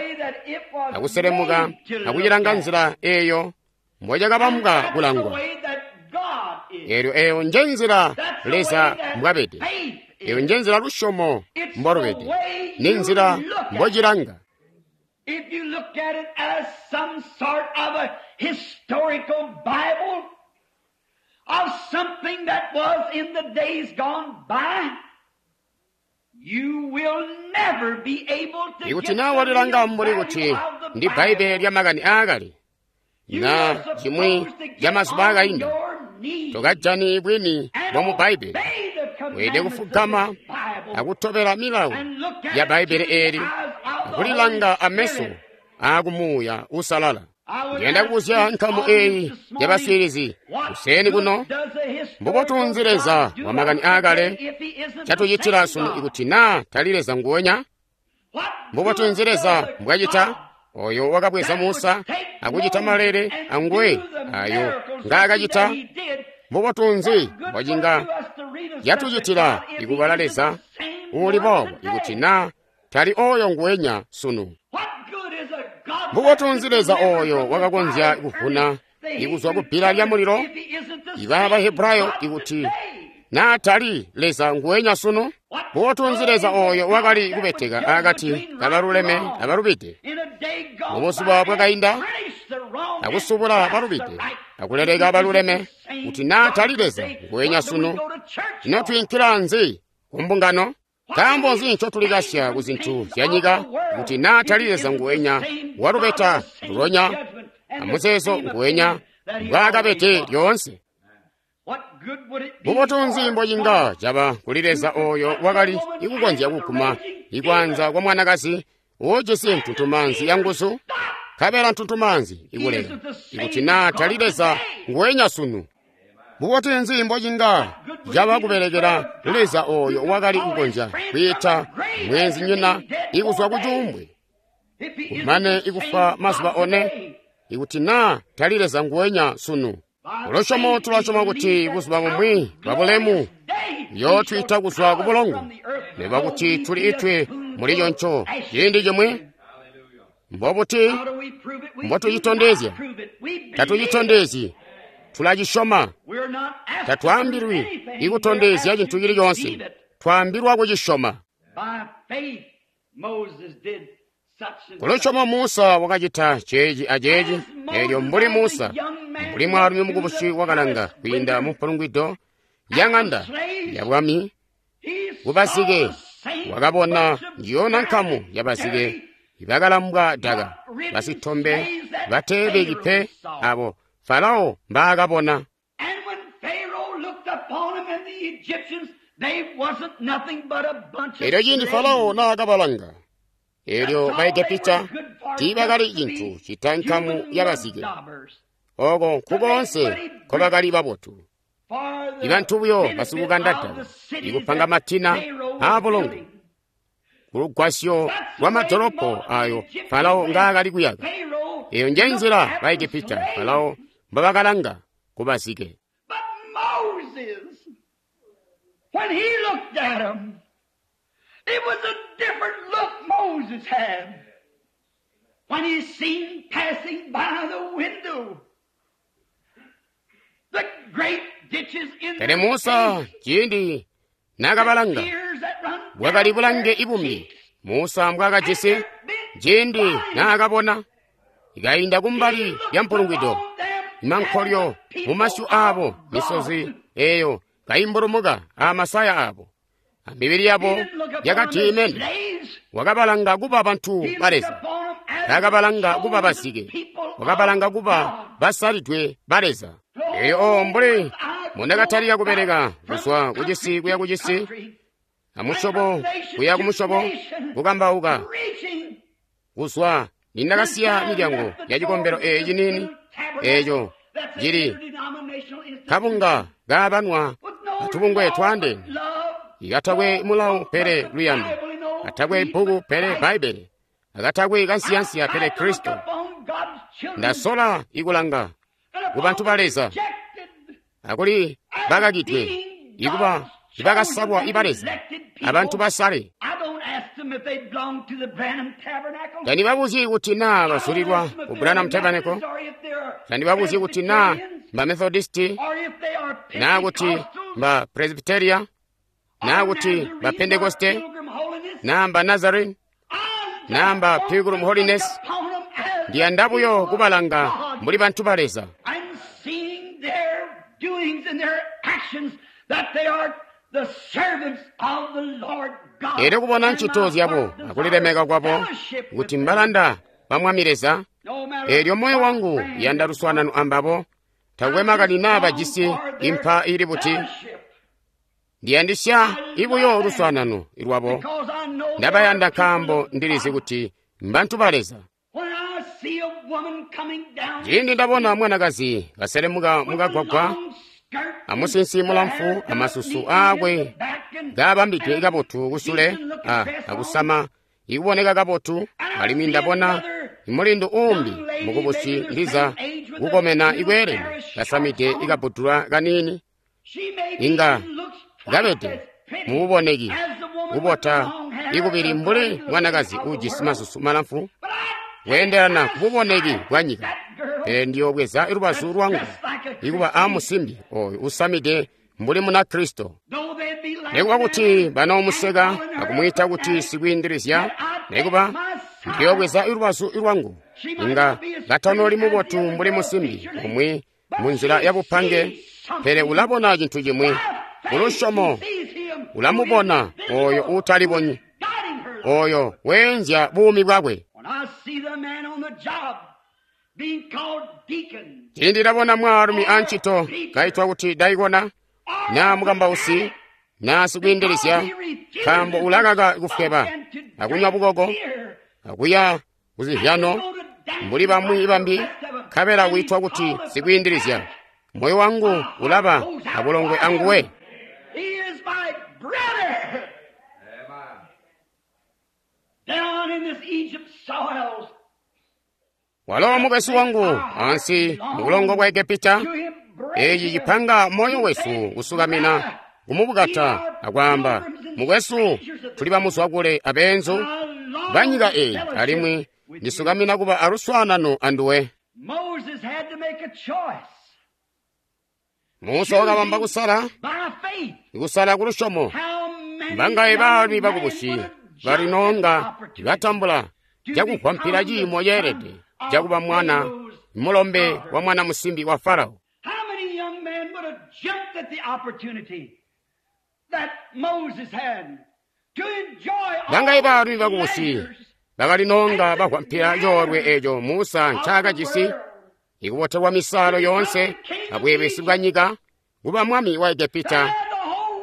akuselemuka akucilanga nzila eyo mbocakabambwa kulangwa. Eelyo eyo nje nzila Leza mbwabede, eyo nje nzila lusyomo mbolubede, ni nzila mbocilanga. If you look at it as some sort of a historical Bible of something that was in the days gone by, you will never be able to Ikuti get naa the walilanga real mbuli value kuti of the ndi Baibulo Bible. lya makani aakale You na are chimwi supposed to cha get mazuba on akainda, your knees tokajani bwini and bwa mu Baibulo. obey the Weelede commandments of kufugama this Bible akutobela milawo and look at ya it Baibulo through the eli eyes of the akulilanga Holy ameso Spirit. akumuuya usalala. I would Ndiyanda ask kubuzya this nkamu audience eyi this ya morning, baswiilizi what kuseeni good kuno, does a historical mbubotunzi Leza God do wa makani us aakale today if he isn't the catucitila same sunu God? ikuti naa tali Leza nguonya? What Mbubotunzi good Leza does a mbwacita God oyo wakabweza that would Musa take akucita Moses malele and anguwe do the ayo miracles which ngaakacita? he did, Mbubotunzi what good would mbwacinga it do us to read of such a yatucitila God if he ikubala isn't Leza the same uli one boobo today? ikuti naa tali oyo nguwenya sunu? What good is a God that Mbubotunzi could Leza deliver oyo from the wakakonzya fiery kuvuna furnace the ikuzwa ku Hebrew bbila lya children mulilo if he isn't the iba same Bahebrayo God ikuti today? naa tali Leza nguwenya sunu? What Mbubotunzi good Leza is a oyo God wakali that would kubeteka judge akati between right and kabaluleme wrong abalubide in a day gone by mubuzuba and bwakainda punish the wrong and akusubula bless the balubide right? If he akuleleka isn't the baluleme same kuti naa God tali Leza today, nguwenya what do we sunu? go to church Ino for? twiinkila nzi ku mbungano? Nkaambo nzi ncotulikasya ku zintu zya nyika kuti naa tali Leza nguwenya walubeta lulonya amuzeezo nguwenya mbwaakabede lyoonse? Bubotu nzi mbocinga caba kuli Leza oyo wakali ikukonzya kuguma ikwaanza kwa mwanakazi uujisi ntuntumaanzi ya nguzu, nkabela ntuntumaanzi ikuleka, ikuti naa tali Leza nguwenya sunu? Bubotu nzi mbocinga caba kubelekela Leza oyo wakali kukonzya kwiita mweenzinyina ikuzwa ku cuumbwe, kumane ikufa mazuba one, ikuti naa tali Leza nguwenya sunu? Kulusyomo tulasyoma kuti buzuba bumwi bwabulemu yootwiita kuzwa ku bulongo, nekuba kuti tuli itwe muli choncho ciindi chimwi. Mbobuti mbotucitondezya? Tatucitondezyi, tulacisyoma. Tatwaambilwi ikutondezya cintu cili coonse, twaambilwa kucisyoma. Kulusyomo Musa wakacita ceeci aceeci, eelyo mbuli Musa, mbuli mwaalumi mukubusi wakalanga kwiinda mu mpulungwido ya ŋanda ya bwami kubazike, wakabona njiyona nkamu yabazike ibakalambwa daka, basitombe bateebeki pe abo Farao mbaakabona. Eelyo ciindi Farao naakabalanga, eelyo Baegepita tiibakali cintu cita nkamu yabazike. Oko nkukoonse nkobakali babotu, ibantu buyo basikukanda daka, ikupanga matina aabulongo kulugwasyo lwamadolopo ayo Farao ngaakali kuyaka. Eyo njenzila Baegepita Farao mbabakalanga kubazike. When he looked at 'em, it was a different look Moses had when he seen passing by the window the great ditches in Pele Musa ciindi naakabalanga, bwakali bulange ibumbi Musa mbwaakajisi ciindi naakabona ikainda kumbali lya mpulungwido, mankolyo mumasyu aabo, misozi eyo kaimbulumuka amasaya aabo, amibili yabo yakatiimene. Wakabalanga kuba bantu ba Leza, taakabalanga kuba bazike, wakabalanga kuba basalidwe ba Leza. Eyo o mbuli mundakatalika kubeleka kuzwa kucisi kuya kucisi, amusyobo kuya kumusyobo, kukambauka kuzwa nindakasiya milyango ya cikombelo eeci niini, eeco cili kabunga kaabanwa atubungwe twaandeene, ikatakwe mulawo pele luyando, katakwe bbuku pele Bbaibbele, akatakwe kansiyansiya pele Kristo. Ndasola ikulanga kubantu ba Leza akuli bakakidwe ikuba ibakasalwa iba Leza, abantu basale. Tandibabuzyi kuti naa bazulilwa ku Branham Tabernacle, tandibabuzyi kuti naa mba Methodisti, naa kuti mba Presbyteria, naa kuti mba Pentekoste, naa mba Nazarene, naa mba Pilgrim Holiness. Ndiyanda buyo kubalanga mbuli bantu ba Leza. Eelyo kubona ncito zyabo akulilemeka kwabo kuti mbalanda ba Mwami Leza, eelyo moyo wangu yanda luswaanano ambabo, takwe makani naa bajisi impa ili buti. Ndiyandisya ibuyo luswaanano lwabo. Ndabayanda nkaambo ndilizi kuti mbantu ba Leza. Ciindi ndabona mwanakazi kaselemuka mukagwagwa, amusinsi mulamfu, amasusu aakwe kaabambidwe kabotu kusule, a akusama ikuboneka kabotu, alimwi ndabona mulindu uumbi mukubusi ndiza kukomena ikweelene kasamide ikabbudula kaniini, inga kabede mububoneki kubota ikubili mbuli mwanakazi uujisi masusu malamfu kweendelana kububoneki bwa nyika. Pele ndiyobweza lubazu lwangu ikuba amusimbi oyo usamide mbuli muna Kristo. Nekuba kuti banoomuseka akumwiita kuti sikwiindilizya, nekuba ndiyobweza lubazu lwangu, inga katanoli mubotu mbuli musimbi umwi munzila yabupange, pele ulabona cintu cimwi kulusyomo ulamubona oyo uutalibonyi, oyo weenzya buumi bwakwe. Ciindi ndabona mwaalumi ancito kaitwa kuti daikona, naa mukambausi, naa sikwiindilizya, nkaambo ulakaka kufweba akunywa bukoko akuya kuzihyano mbuli bamwi bambi, nkabela wiitwa kuti sikwiindilizya, moyo wangu ulaba abulongwe anguwe. Walo mukwesu wangu ansi mubulongo bwa Egepita. Eeci cipanga moyo wesu kusukamina kumubukata akwaamba, mukwesu, tuli bamuzwakule abeenzu banyika eyi, alimwi ndisukamina kuba aluswaanano anduwe. Musa wakabamba kusala, kusala kulusyomo. Mbangaye baalumi bakubusi balinonga batambula cakugwampila ciimo ceelede cakuba mwana mulombe wa mwana musimbi wa Farao. Bangaye baalumi bakubusi bakalinonga bagwampila coolwe eeco Musa ncaakajisi, ikubotelwa misaalo yoonse abweebesi bwa nyika, kuba mwami wa Egepita,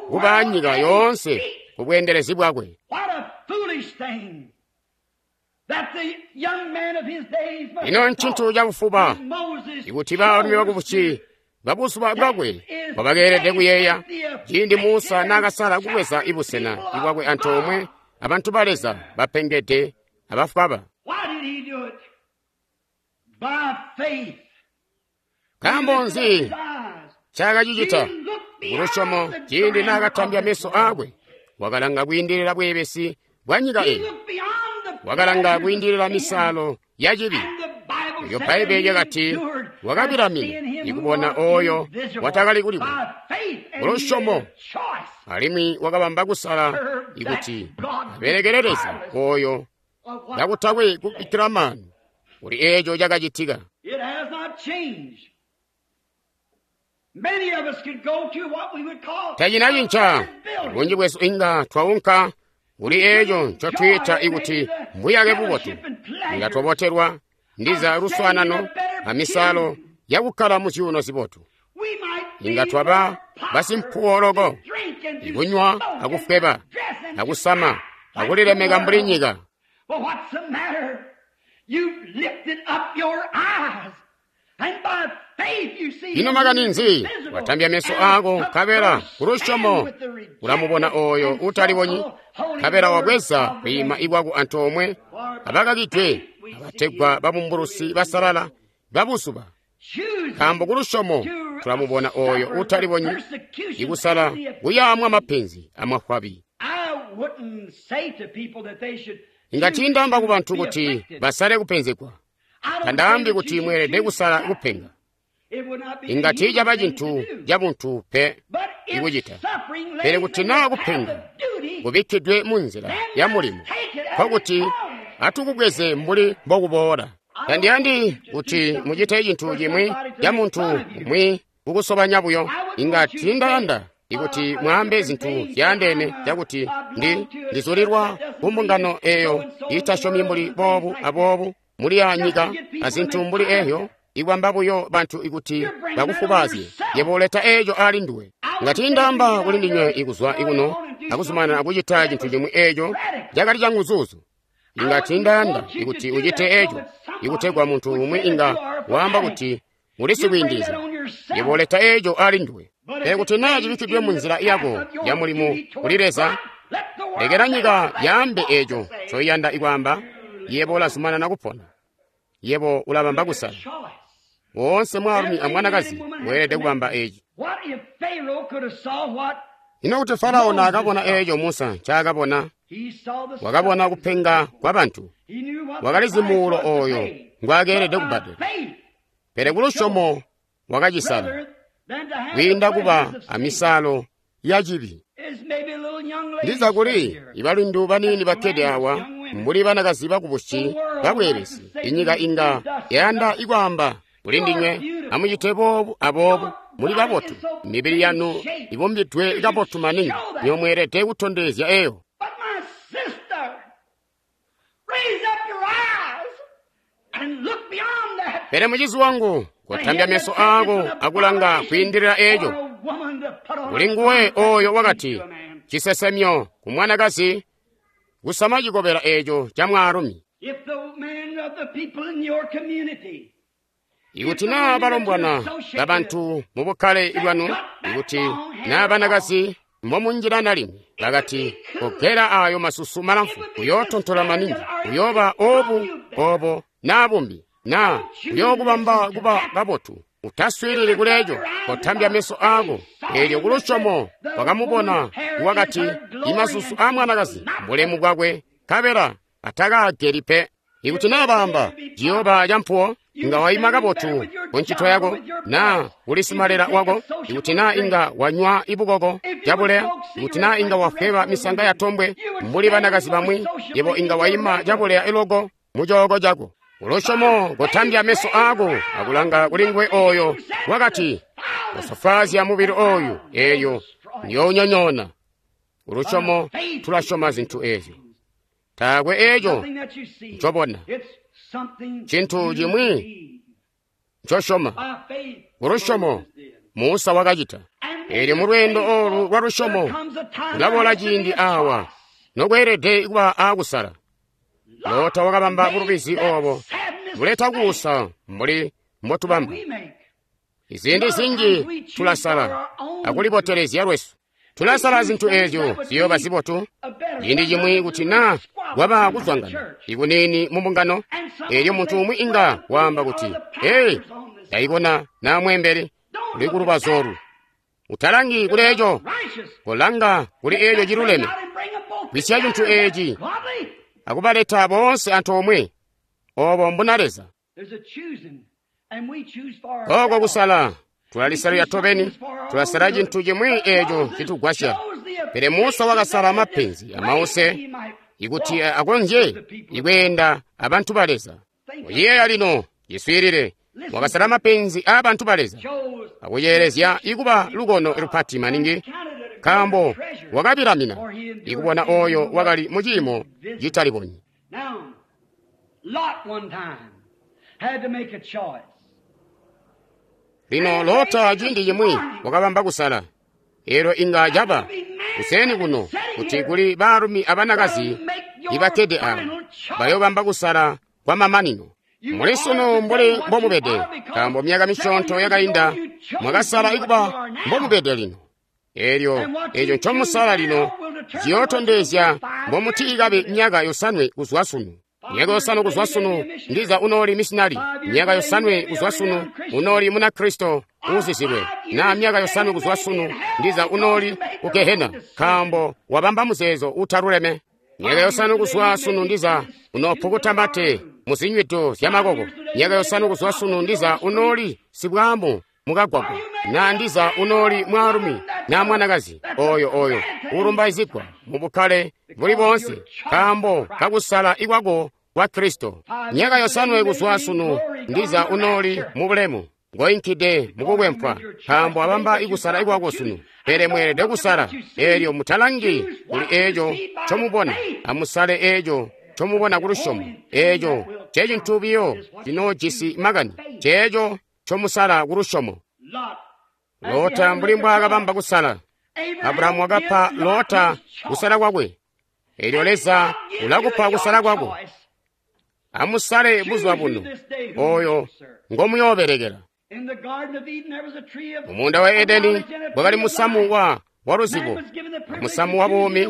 kuba nyika yoonse kubweendelezi bwakwe. Ino ncintu cabufuba ikuti baalumi bakubusi babuzuba bwakwe mbobakeelede kuyeeya ciindi Musa naakasala kubweza ibusena bwakwe antoomwe abantu ba Leza bapengede abafwaba. Nkaambo nzi ncaakacicita? Kulusyomo, ciindi naakatambya meso aakwe, wakalanga kwiindilila bweebesi bwa nyika eyi, wakalanga kwiindilila misaalo ya cibi. Eyo Bbaibbele lyakati wakabilamina ikubona oyo watakali kulibona. Kulusyomo, alimwi wakabamba kusala ikuti abelekele Leza oyo kakutakwe kubikkila maanu kuli eeco cakacitika. Tacinacinca. Bunji bwesu inga twaunka kuli eeco ncotwiita ikuti mbuyake bubotu, inga twabotelwa ndiza luswaanano amisaalo yakukkala mu zyuuno zibotu. Inga twaba basimpuwo loko, ikunywa akufweba akusama akulilemeka mbuli nyika. Ino makani nzi? Watambya meso aako nkabela kulusyomo ulamubona oyo uutalibonyi, nkabela wabweza kwiima ikwako antoomwe abakakidwe abategwa babumbulusi basalala babuzuba. Nkaambo kulusyomo tulamubona oyo uutalibonyi, ikusala kuyaamwa mapenzi amafwabi. Inga tiindaamba kubantu kuti basale kupenzegwa, tandaambi kuti mweelede kusala kupenga. Inga tiicaba cintu cabuntu pe ikucita, pele kuti naa kupenga kubikkidwe munzila ya mulimo, nkokuti atukubweze mbuli mbokuboola. Tandiyandi kuti mucite cintu cimwi ca muntu umwi kukusobanya buyo. Inga tiindayanda ikuti mwaambe zintu zyaandeene cakuti ndi ndizulilwa kumbungano eeyo iitasyomi mbuli boobu aboobu muli ya nyika azintu mbuli eeyo, ikwamba buyo bantu ikuti bakufubaazye. Yebo uleta eeco ali nduwe. Nga tiindaamba kuli ndinywe ikuzwa ikuno akuzumanana akucita cintu cimwi eeco cakali canguzuzu. Inga tiindayanda ikuti ucite eeco ikutegwa muntu umwi inga waamba kuti uli sikwiindilizya. Yebo uleta eeco ali nduwe. Pele kuti naa cibikkidwe munzila yako ya mulimo kuli Leza, lekela nyika yaambe eeco ncoiyanda ikwaamba, yebo ulazumanana kupona. Yebo ulabamba kusala. Woonse mwaalumi amwanakazi weelede kubamba eeci. Ino kuti Farao naakabona eeco Musa ncaakabona, wakabona kupenga kwa bantu, wakalizi muulo oyo ngwaakeelede kubbadela. Pele kulusyomo wakacisala kwiinda kuba amisaalo ya cibi. Ndiza kuli ibalindu baniini bakkede awa mbuli banakazi bakubusi babweebesi, inyika inga yayanda ikwaamba kuli ndinywe, amucite boobu aboobu, muli babotu, mibili yanu ibumbidwe kabotu maningi, nywebo mweelede kutondezya eyo. But my sister, raise up your eyes and look beyond that. Pele mucizi wangu, kotambya meso ako akulanga kwiindilila eco. Kuli nguwe oyo wakati, cisesemyo ku mwanakazi kusama cikobela eco ca mwaalumi. If the men of the people in your community Ikuti naa balombwana babantu mu bukkale bwanu, ikuti naa banakazi mbomunjilana limwi, bakati kogela ayo masusu malamfu, uyootontola maningi, uyooba obu obo naa bumbi, naa uyookubamba kuba kabotu. Utaswiilili kuleeco, kotambya meso ako. Eelyo kulusyomo wakamubona wakati imasusu a mwanakazi mbulemu bwakwe, nkabela atakaageli pe. Ikuti naa baamba ciyooba campuwo, inga waima kabotu ku ncito yako, naa uli simalela wako. Ikuti naa inga wanywa ibukoko cabuleya, ikuti naa inga wafweba misanga ya tombwe mbuli banakazi bamwi, yebo inga waima cabuleya iloko mu cooko cako. Ulusyomo kotambya meso ako akulanga kuli nguwe oyo wakati kusofwaazya mubili oyu, eyo niyoonyonyoona. Ulusyomo tulasyoma zintu ezyo. Taakwe eco Nothing that you see. ncobona. It's something Cintu you cimwi believe. ncosyoma. By faith, Ulusyomo Moses did. Musa wakacita. And Eelyo mu lweendo olu lwa lusyomo there comes a time kulaboola there has to be ciindi a awa choice. nokweelede kuba aakusala. Lota wakabamba Made bulubizi that obo sadness buleta mistake kuusa mbuli mbotubamba. we make. Iziindi zinji tulasala akulibotelezya lwesu. Tulasala zintu ezyo ziyooba zibotu. A better Ciindi cimwi kuti naa kwaba kuzwangana ikuniini mu mbungano, eelyo muntu umwi inga waamba kuti, "Hey, ndayibona naa mwembeli uli ku lubazu olu." Utalangi kuli eco, righteous. kolanga kuli eco ciluleme, Out and bring them both Kwisya cintu together. eci. Godly. akubaleta boonse antoomwe. Obo mbuna Leza. There's a choosing, and we choose for Oko ourselves. kusala tulalisalira tobeni, tulasala cintu cimwi eco citugwasya. Pele Musa wakasala mapenzi amause ikuti akonzye ikweenda abantu ba Leza. Uyeeya lino, yiswiilile, wakasala mapenzi aabantu ba Leza, akuyeelezya ikuba lukono lupati maningi, nkaambo wakabilamina ikubona oyo wakali mu ciimo citalibonyi. Now, Lot one time had to make a choice. Lino Lota ciindi cimwi wakabamba kusala. Eelyo inga caba kuseni kuno kuti kuli baalumi abanakazi ibakkede awa bayoobamba kusala kwa mamanino. Muli sunu mbuli mbomubede, nkaambo myaka misyoonto yakainda mwakasala ikuba mbomubede lino. Eelyo eco ncomusala lino ciyootondezya mbomutiikabe myaka yosanwe kuzwa sunu. Myaka yosanwe kuzwa sunu ndiza unooli misinali. Myaka yosanwe kuzwa sunu unooli Munakristo uuzizilwe. Na myaka yosanwe kuzwa sunu ndiza unooli ku Gehena, nkaambo wabamba muzeezo utaluleme. Myaka yosanwe kuzwa sunu ndiza unoopukuta mate mu zinywido zyamakoko. Myaka yosanwe kuzwa sunu ndiza unooli sibwaamu mukagwagwa. Na ndiza unooli mwaalumi na mwanakazi oyo oyo ulumbaizigwa mu bukkale buli boonse nkaambo kakusala ikwako kwa Kristo. Myaka yosanwe kuzwa sunu ndiza unooli mu bulemu ngoinkide mukubwempwa nkaambo abamba ikusala ikwako sunu. Pele mweelede kusala eelyo mutalangi kuli eco ncomubona, amusale eco ncomubona ku lusyomo. Eco ncecintu biyo cinoojisi makani, ceeco ncomusala ku lusyomo. Lot. Lota mbuli mbwaakabamba kusala, Abrahamu wakapa Lota kusala kwakwe. Eelyo Leza ulakupa kusala kwako. Amusale buzuba buno oyo ngomuyoobelekela. In the Garden of Eden there was a tree of Mu munda wa Edeni bwakali musamu wa waluzibo, musamu wa buumi.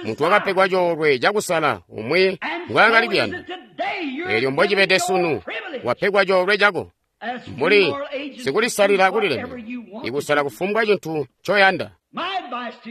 Muntu wakapegwa coolwe cakusala umwi ngwaakali kuyanda. Eelyo mbocibede sunu, wapegwa coolwe cako mbuli sikulisalila kulileme, ikusala kufumbwa cintu ncoyanda.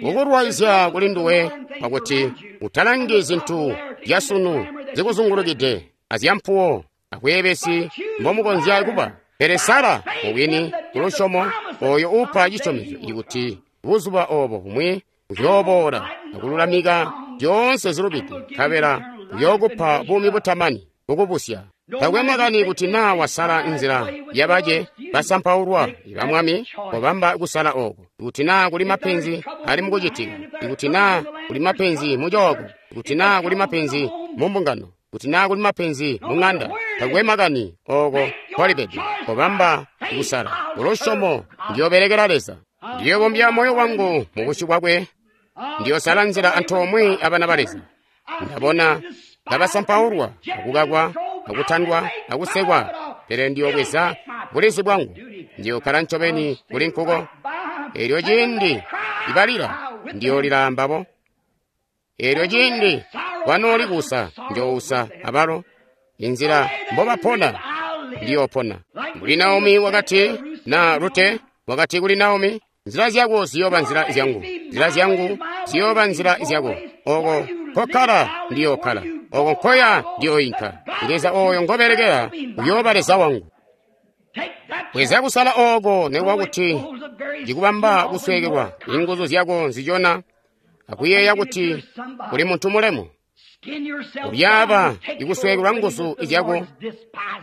Kukulwaizya kuli nduwe pakuti utalangi zintu zyasunu zikuzungulukide azyampuwo akweebesi mbomukonzya kuba. Pele sala mubwini kulusyomo oyo uupa cisyomezyo ikuti buzuba obo bumwi uyooboola akululamika zyoonse zilubide, nkabela uyookupa buumi butamani bukubusya. Takwe makani kuti naa wasala nzila yabace basampaulwa iba Mwami, kobamba kusala oko. Ikuti naa kuli mapenzi ali mukucitika, ikuti naa kuli mapenzi mucooko, ikuti naa kuli mapenzi mu mbungano, kuti naa kuli mapenzi mu ng'anda, takwe makani oko nkolibede, kobamba kusala. Kulusyomo ndiyobelekela Leza, ndiyobombya moyo wangu mu busyu bwakwe, ndiyosala nzila antoomwe abana ba Leza. Ndabona kabasampaulwa, akukakwa, akutandwa, akusekwa, pele ndiyobweza bulizi bwangu, ndiyokkala ncobeni kuli nkuko. Eelyo ciindi ibalila, ndiyolila ambabo. Eelyo ciindi kwanooli kuusa, ndiyousa abalo. Inzila mbobapona, ndiyopona. Mbuli Naomi wakati na Rute wakati kuli Naomi, nzila zyako ziyooba nzila zyangu, nzila zyangu ziyooba nzila zyako. Oko nkokkala ndiyokkala, oko nkoya ndiyoyinka. Leza oyo ngobelekela uyooba Leza wangu. Bweza kusala oko nekuba kuti ndikubamba kusweekelwa inguzu zyako nzijona akuyeeya kuti uli muntu mulemu. Ulyaaba ikusweekelwa nguzu zyako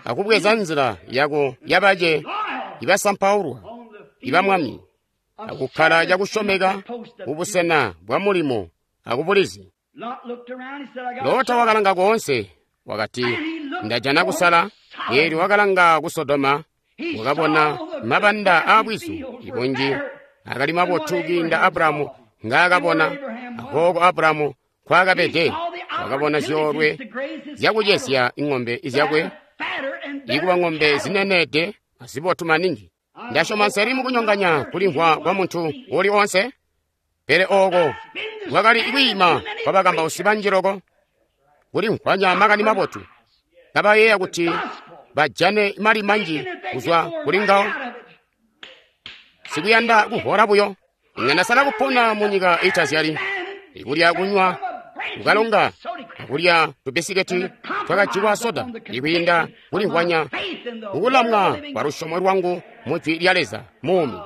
akubweza nzila yako yabace ibasampaulwa iba Mwami, akukkala cakusyomeka kubusena bwa mulimo akubulizi. Lota wakalanga koonse, wakati, ndajana kusala. Eelyo wakalanga ku Sodoma, wakabona mabanda aabwizu ibunji akali mabotu kwiinda Abulahamu ngaakabona, akooko Abulahamu nkwaakabede. Wakabona zyoolwe zyakucesya ing'ombe zyakwe, ikuba ng'ombe zineneede azibotu maningi. Ndasyoma nseli mukunyonganya kulimvwa kwa muntu uli onse, pele oko kwakali kwiima kwa bakambausi banji loko, kulimvwanya makani mabotu, kabayeeya kuti bajane mali manji kuzwa kuli ngawo. Sikuyanda kuhola buyo, inga ndasala kupona munyika itazyali, ikulya kunywa kukalonga akulya tubisiketi twakajikwa soda, ikwiinda kulimvwanya kukulamwa kwa lusyomo lwangu mu Jwi lya Leza muumi.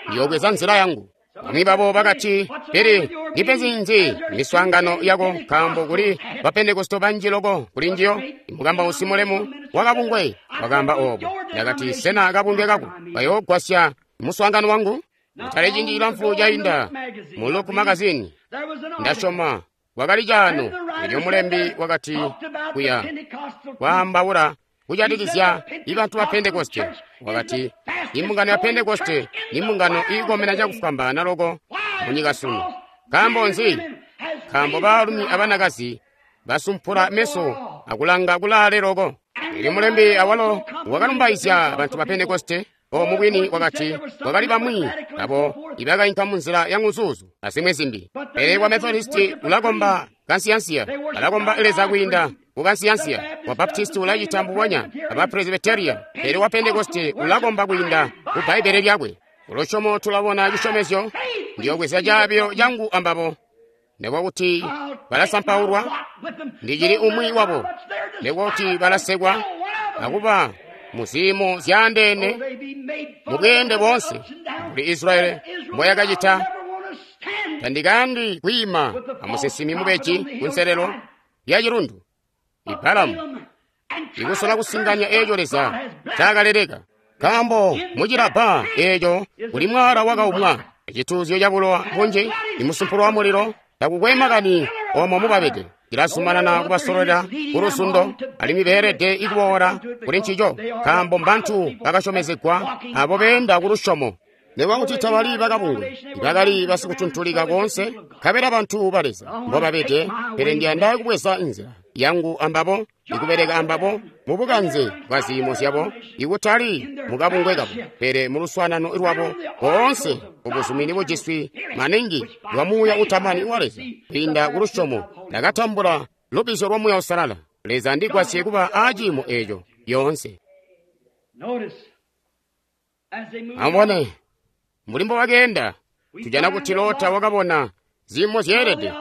Ndiyobweza nzila yangu. Bamwi babo bakati, pele ndipenzi nzi miswaangano yako, nkaambo kuli bapentekoste banji loko kuli njiyo. Mukambausi mulemu wakabungwe wakaamba obo. Ndakati, sena kabungwe kako kayoogwasya muswaangano wangu? Kutali ciindi cilamfu cainda mu Look magazini, ndasyoma kwakali caano, elyo mulembi wakati kuya kwaambaula kujatikizya ibantu ba Pentekoste. Wakati, imbungano ya Pentekoste ni mbungano iikomena cakufwambaana loko munyika sunu. Nkaambo nzi? Nkaambo baalumi abanakazi basumpula meso akulanga kulaale loko. Elyo mulembi awalo wakalumbaizya bantu ba Pentekoste. O mubwini wakati kwakali bamwi abo ibakainka munzila ya nguzuzu azimwi zimbi, pele wa Methodisti ulakomba kansiyansiya, balakomba Leza kwiinda kukansiyansiya, wa Baptisti ulacita mbubonya, aba Presbyteria, pele wa Pentekoste ulakomba kwiinda ku Bbaibbele lyakwe. Kulusyomo tulabona cisyomezyo, ndiyobweza caabilo cangu ambabo, nekuba kuti balasampaulwa, ndicili umwi wabo, nekuba kuti balasekwa akuba muziimo zyaandeene mubweende boonse mbuli Israeli mboyakacita. Tandikayandi kwiima amusinsimi mubeji kunselelo lya cilundu Ibalamu ikusola kusinganya eeco Leza ncakaleleka, nkaambo mucilabba eeco kuli mwaala wakaumwa, cituuzyo cabulowa bunji, imusumpulo wa mulilo. Takukwe makani omo mubabede, cilazumanana kubasololela kuluzundo, alimwi beelede ikuboola kuli ncico, nkaambo mbantu bakasyomezegwa abo beenda kulusyomo. Nekuba kuti tabali bakabungwe, bakali basikutuntulika koonse, nkabela bantu ba Leza mbobabede, pele ndiyanda kubweza nzila yangu ambabo, ikubeleka ambabo mubukanze bwa ziimo zyabo, ikutali mukabungwe kabo, pele muluswaanano lwabo boonse ubuzumini bujiswi maningi lwa Muuya utamani wa Leza. Kwiinda kulusyomo ndakatambula lubbizyo lwa Muuya Uusalala. Leza ndigwasye kuba aaciimo eeco yoonse. Amubone mbuli mbobakeenda, tujana kuti Lota wakabona ziimo zyeelede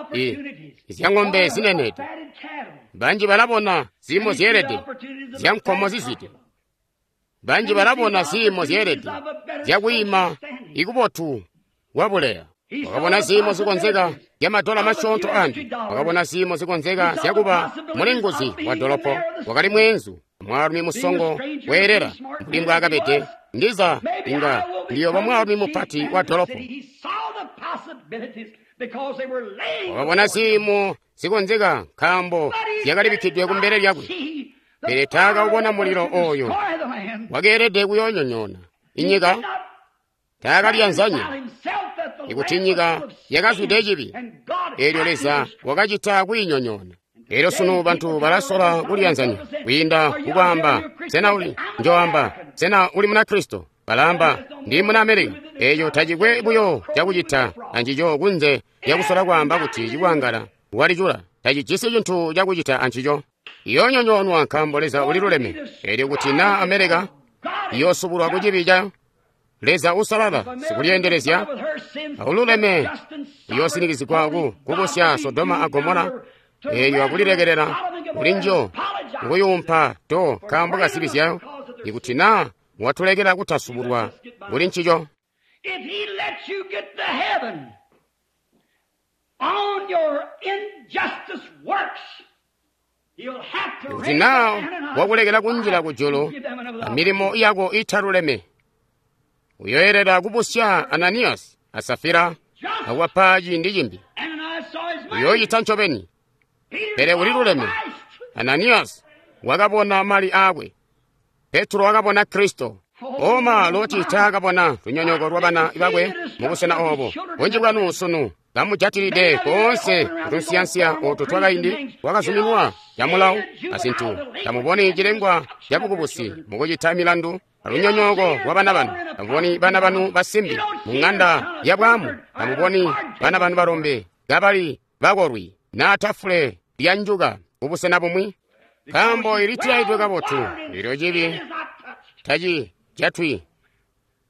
zya ng'ombe zinenede. Banji balabona ziimo zyeelede zya nkomo zizwide. Banji balabona ziimo zyeelede zyakwiima ikubotu kwabuleya. Wakabona ziimo zikonzeka zyamadola masyoonto andi. Wakabona ziimo zikonzeka zyakuba mulinguzi wa dolopo. Wakali mweenzu mwaalumi musongo weelela mbuli mbwaakabede, ndiza inga ndiyooba mwaalumi mupati wa dolopo. Wakabona ziimo zikonzeka nkaambo zyakalibikkidwe kumbele lyakwe, pele taakawubona mulilo oyo wakeelede kuyoonyonyoona inyika. Taakalyanzanya ikuti nyika yakazwide cibi, eelyo Leza wakacita kwiinyonyoona. Elyo sunu bantu balasola kulyanzanya kwiinda kukwaamba, sena uli, njoamba, sena uli Munakristo? Balaamba, ndi muna Amerika. Eeyo tacikwe buyo cakucita ancico kunze lyakusola kwaamba kuti cikwangala walicula. Tacijisi cintu cakucita ancico. Iyoonyonyoonwa nkaambo Leza uliluleme. Eelyo kuti naa Amerika iyoosubulwa ku cibi ca Leza usalala sikulyeendelezya aululeme, iyoosinikizigwa ku kubusya Sodoma a Gomora, eelyo akulilekelela kulinjo kuyuumpa to nkaambo ka zibi zyayo, ikuti naa watulekela kutasubulwa kuli ncico. Ikuti naa wakulekela kunjila kujulu amilimo yako italuleme, uyoyelela kubusya Ananiyasi a Safira akuwapa ciindi cimbi. Uyoocita ncobeni, pele uliluleme. Ananiyasi wakabona mali aakwe, Petro wakabona Kristo. Oma Loti taakabona lunyonyooko lwabana bakwe mubusena oobo. Bunji bwanu sunu kamujatilide koonse kutunsiyansiya ooto twakaindi twakazuminwa camulawo azintu. Tamuboni cilengwa cabukubusi mukucita milandu alunyonyooko lwabana banu. Tamuboni bana banu basimbi muŋanda yabwaamu. Tamuboni bana banu balombe kabali bakolwi naa tafule lyanjuka kubusena bumwi, nkaambo ilitilaidwe kabotu. Elyo cibi taci jatwi.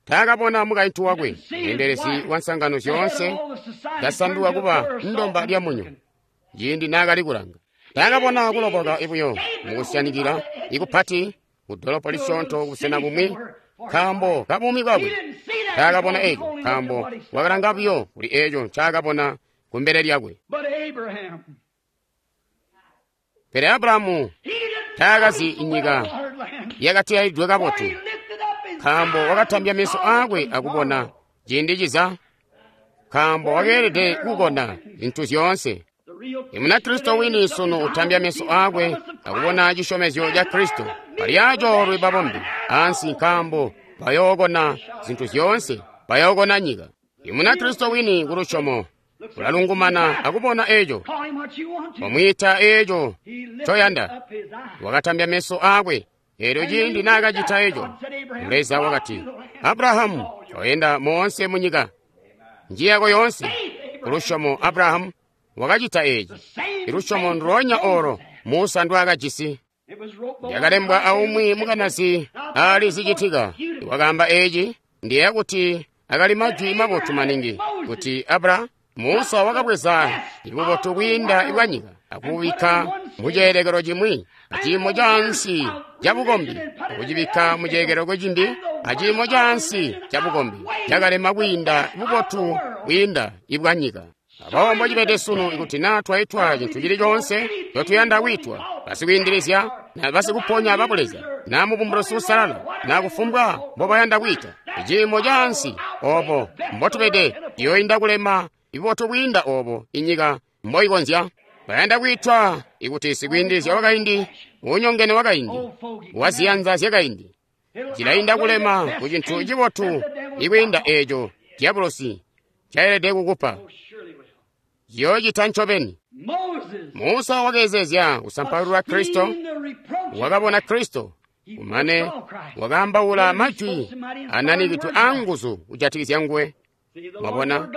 Taakabona mukaintu wakwe, mweendelezi wa nsangano zyoonse, kasanduka kuba ndomba lya munyo ciindi naakali kulanga. Taakabona kuloboka ibuyo mukusyanikila ikupati kudolopo lisyoonto kubusena bumwi nkaambo kabuumi bwakwe. Taakabona eco nkaambo wakalanga buyo kuli eco ncaakabona kumbele lyakwe. Pele Abrahamu taakazi inyika yakatilaidwe kabotu, nkaambo wakatambya meso aakwe akubona ciindi ciza, nkaambo wakeelede kukona zintu zyoonse. Imunakristo wini sunu utambya meso aakwe akubona cisyomezyo ca Kristo. Bali acoolwe babombe ansi, nkaambo bayookona zintu zyoonse, bayookona nyika. Imunakristo wini kulusyomo ulalungumana akubona eco, wamwiita eco ncoyanda. Wakatambya meso aakwe. Eelyo ciindi naakacita eco, Leza wakati, Abrahamu, oyenda moonse munyika njiyako yoonse. Kulusyomo Abrahamu wakacita eeci. Ilusyomo ndulonya olo Musa ndwaakajisi. Lyakalembwa aumwi mukanazi aali zicitika wakaamba eeci. Ndiyeeya kuti akali majwi mabotu maningi kuti Abra Musa wakabweza ibubotu bwiinda bwanyika akubikka muceelekelo cimwi aciimo caansi cabukombi, akucibikka muceelekelo cimbi aciimo caansi cabukombi cakalema kwiinda bubotu bwiinda ibwanyika. Aboobo mbocibede sunu, ikuti naa twaitwa cintu cili coonse ncotuyanda kwiitwa, basikwiindilizya na basikuponya babuleza na mubumbulusi usalala na kufumbwa mbobayanda kwiita, iciimo caansi oobo mbotubede ciyoinda kulema ibubotu bwiinda oobo inyika mboikonzya. Bayanda kwiitwa ikuti sikwiindilizya wakaindi, unyongene wakaindi, waziyanza zyakaindi, cilainda kulema ku cintu cibotu ikwiinda eeco diabolosi ncaelede kukupa. Ciyoocita ncobeni. Musa wakeezezya kusampaulwa Kristo, wakabona Kristo, kumane wakaambaula majwi ananikidwe anguzu kujatikizya nguwe. Mwabona,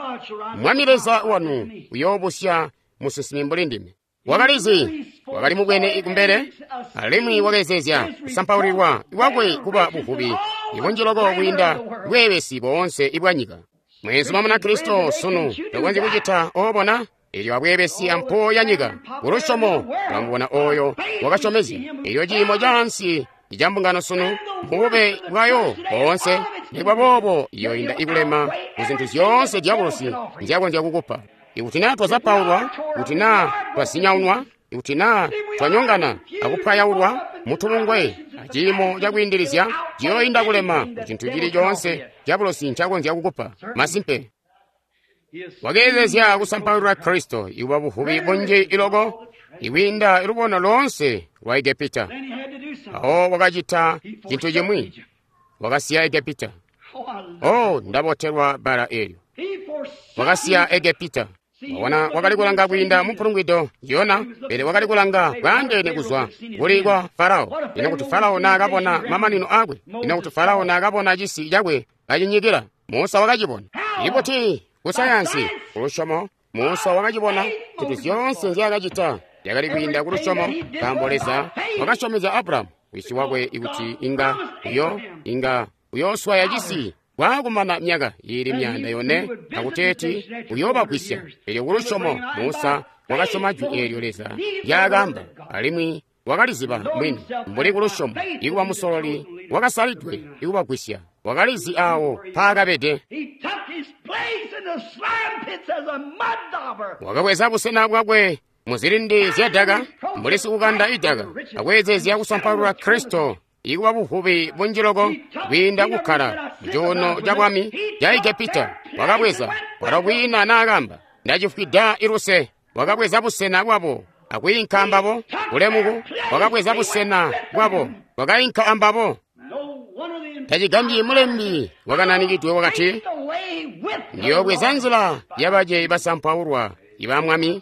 Mwami Leza wanu uyoobusya musinsimi mbuli ndime. Wakalizi, wakali mubwene kumbele, alimwi wakeezezya kusampaulilwa kwakwe kuba buvubi ibunji loko kwiinda bweebesi boonse ibwanyika. Mweenzuma Munakristo sunu tokonzyi kucita oobona elyo abweebesi ampuwo ya nyika. Kulusyomo tulamubona oyo wakasyomezya. Elyo ciimo caansi icambungano sunu mubube bwayo boonse, nikuba boobo iyoinda ikulema kuzintu zyoonse diabolosi nzyakonzya kukupa. Ikuti naa twazapaulwa, ikuti naa twazinyaunwa, ikuti naa twanyongana akupwayaulwa mutubungwe aciimo cakwiindilizya ciyoinda kulema kucintu cili coonse diabolosi ncakonzya kukupa. Masimpe. Wakeelezya kusampaulwa Kristo ikuba buvubi bunji iloko ikwiinda lubono loonse lwa Egepita. Awo wakacita cintu cimwi, wakasiya Egepita. Oh, ndabotelwa bbala eelyo. Wakasiya Egepita. Wabona, wakali kulanga kwiinda mupulungwido Yona, pele wakali kulanga bwaandeene kuzwa kuli kwa Farao. Ino kuti Farao naakabona mamanino akwe, ino kuti Farao naakabona cisi cakwe kacinyikila, Musa wakacibona. Ibuti kusayansi kulusyomo, Musa wakacibona kuti zyoonse nzyaakacita zyakali kwiinda kulusyomo, nkaambo Leza wakasyomezya Abrahamu wisi wakwe ikuti inga uyo inga uyooswaya cisi kwaakumana myaka iili myaanda yone akuteeti uyoobagwisya. Elyo kulusyomo Musa wakasyoma jwi eelyo Leza ndyaakaamba, alimwi wakaliziba mwini mbuli kulusyomo ikuba musololi wakasalidwe ikubagwisya. Wakalizi awo paakabede. Wakabweza busena bwakwe muzilindi zyadaka mbuli sikukanda idaka, akweezezya kusampaulwa Kristo ikuba buvubi bunji loko kwiinda kukkala mucuuno ca bwami ca Egepita. Wakabweza walo kwiina naakamba, ndacifwida iluse. Wakabweza busena bwabo akwiinka ambabo kulemuku. Wakabweza busena bwabo wakainka ambabo. Tacigambyi mulembi wakananikidwe wakati, ndiyoobweza nzila yabace basampaulwa iba Mwami.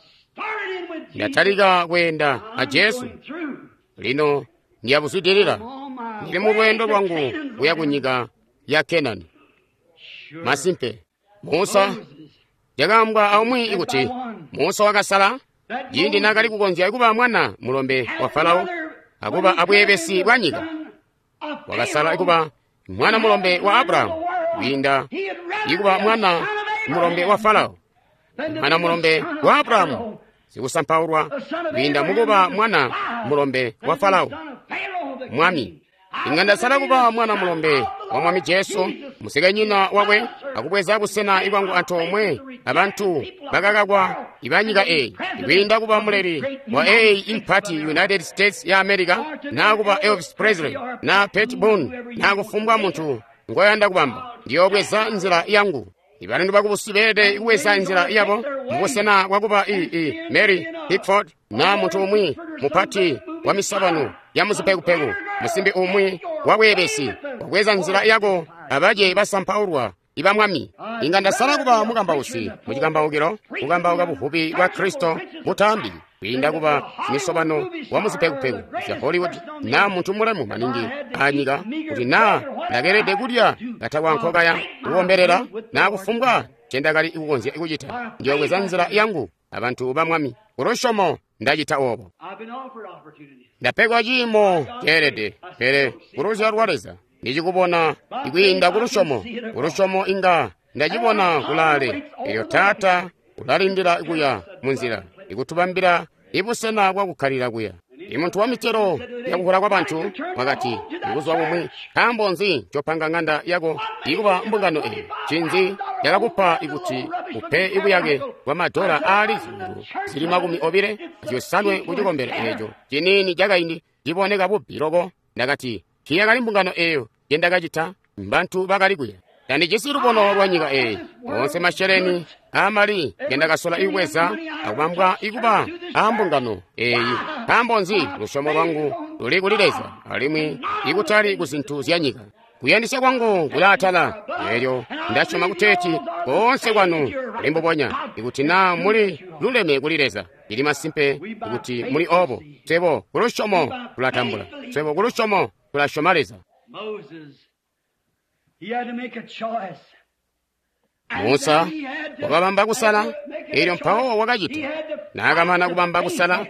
Ndatalika kweenda a Jesu, lino ndiyabuzwidilila. Ndili mu lweendo lwangu kuya ku nyika ya Kenani. Masimpe, Musa yakaambwa aumwi ikuti Musa wakasala ciindi naakali kukonzya kuba mwana mulombe wa Farao akuba abweebesi bwa nyika. Wakasala kuba mwana mulombe wa Abrahamu kwiinda ikuba mwana mulombe wa Farao. Mwana mulombe wa Abrahamu sikusampaulwa kwiinda mukuba mwana mulombe wa Farao mwami. Inga ndasala kuba mwana mulombe wa Mwami Jesu, musikenyina wakwe, akubweza busena ibwangu antoomwe abantu bakakakwa ibanyika eyi, ikwiinda kuba muleli wa eyi impati United States ya America, naa kuba Elvis Presley, naa Pat Boone, naa kufumbwa muntu ngoyanda kubamba. Ndiyobweza nzila yangu. Ibantu bakubusi beelede kubweza nzila yabo mubusena bwakuba i i Mary Pickford naa muntu umwi mupati wa misabano ya muzipekupeku, musimbi umwi wa bweebesi. Wabweza nzila yako abaje basampaulwa iba Mwami. Inga ndasala kuba mukambausi mucikambaukilo, kukambauka buvubi bwa Kristo butambi, kwiinda kuba misobano wa muzipekupeku zya Hollywood naa muntu mulemu maningi anyika, kuti naa ndakeelede kulya katakwa nkokaya kukombelela naa kufumbwa ncendakali kukonzya kucita. Ndiyobweza nzila yangu abantu ba Mwami. Kulusyomo ndacita obo. Ndapegwa ciimo ceelede, pele kuluzyalo lwa Leza ndicikubona ikwiinda kulusyomo. Kulusyomo inga ndacibona kulaale. Elyo Taata ulalindila kuya munzila ikutubambila ibusena bwakukkalila kuya. Imuntu wa mitelo yakuhula kwa bantu wakati buzuba bumwi, nkaambo nzi ncopanga ng'anda yako ikuba mbungano eyi? Ncinzi cakakupa ikuti upe ibuyake bwa madola aali zyuulu zili makumi obile azyosanwe ku cikombelo eeco ciniini cakaindi ciboneka bubi loko? Ndakati, tiyakali mbungano eeyo njendakacita, mbantu bakali kuya. Tandijisi lubono lwa nyika eyi. Onse masheleni aamali ngendakasola ikubweza akubambwa ikuba aambungano eyi. Nkaambo nzi? Lusyomo lwangu luli kuli Leza alimwi ikutali ku zintu zya nyika. Kuyandisya kwangu kulaatala, eelyo ndasyoma kuteeti koonse kwanu kuli mbubonya. Ikuti naa muli luleme kuli Leza, lili masimpe kuti muli obo. Swebo kulusyomo tulatambula, swebo kulusyomo tulasyoma Leza. Musa wakabamba kusala, eelyo mpawo wakacita. Naakamana kubamba kusala,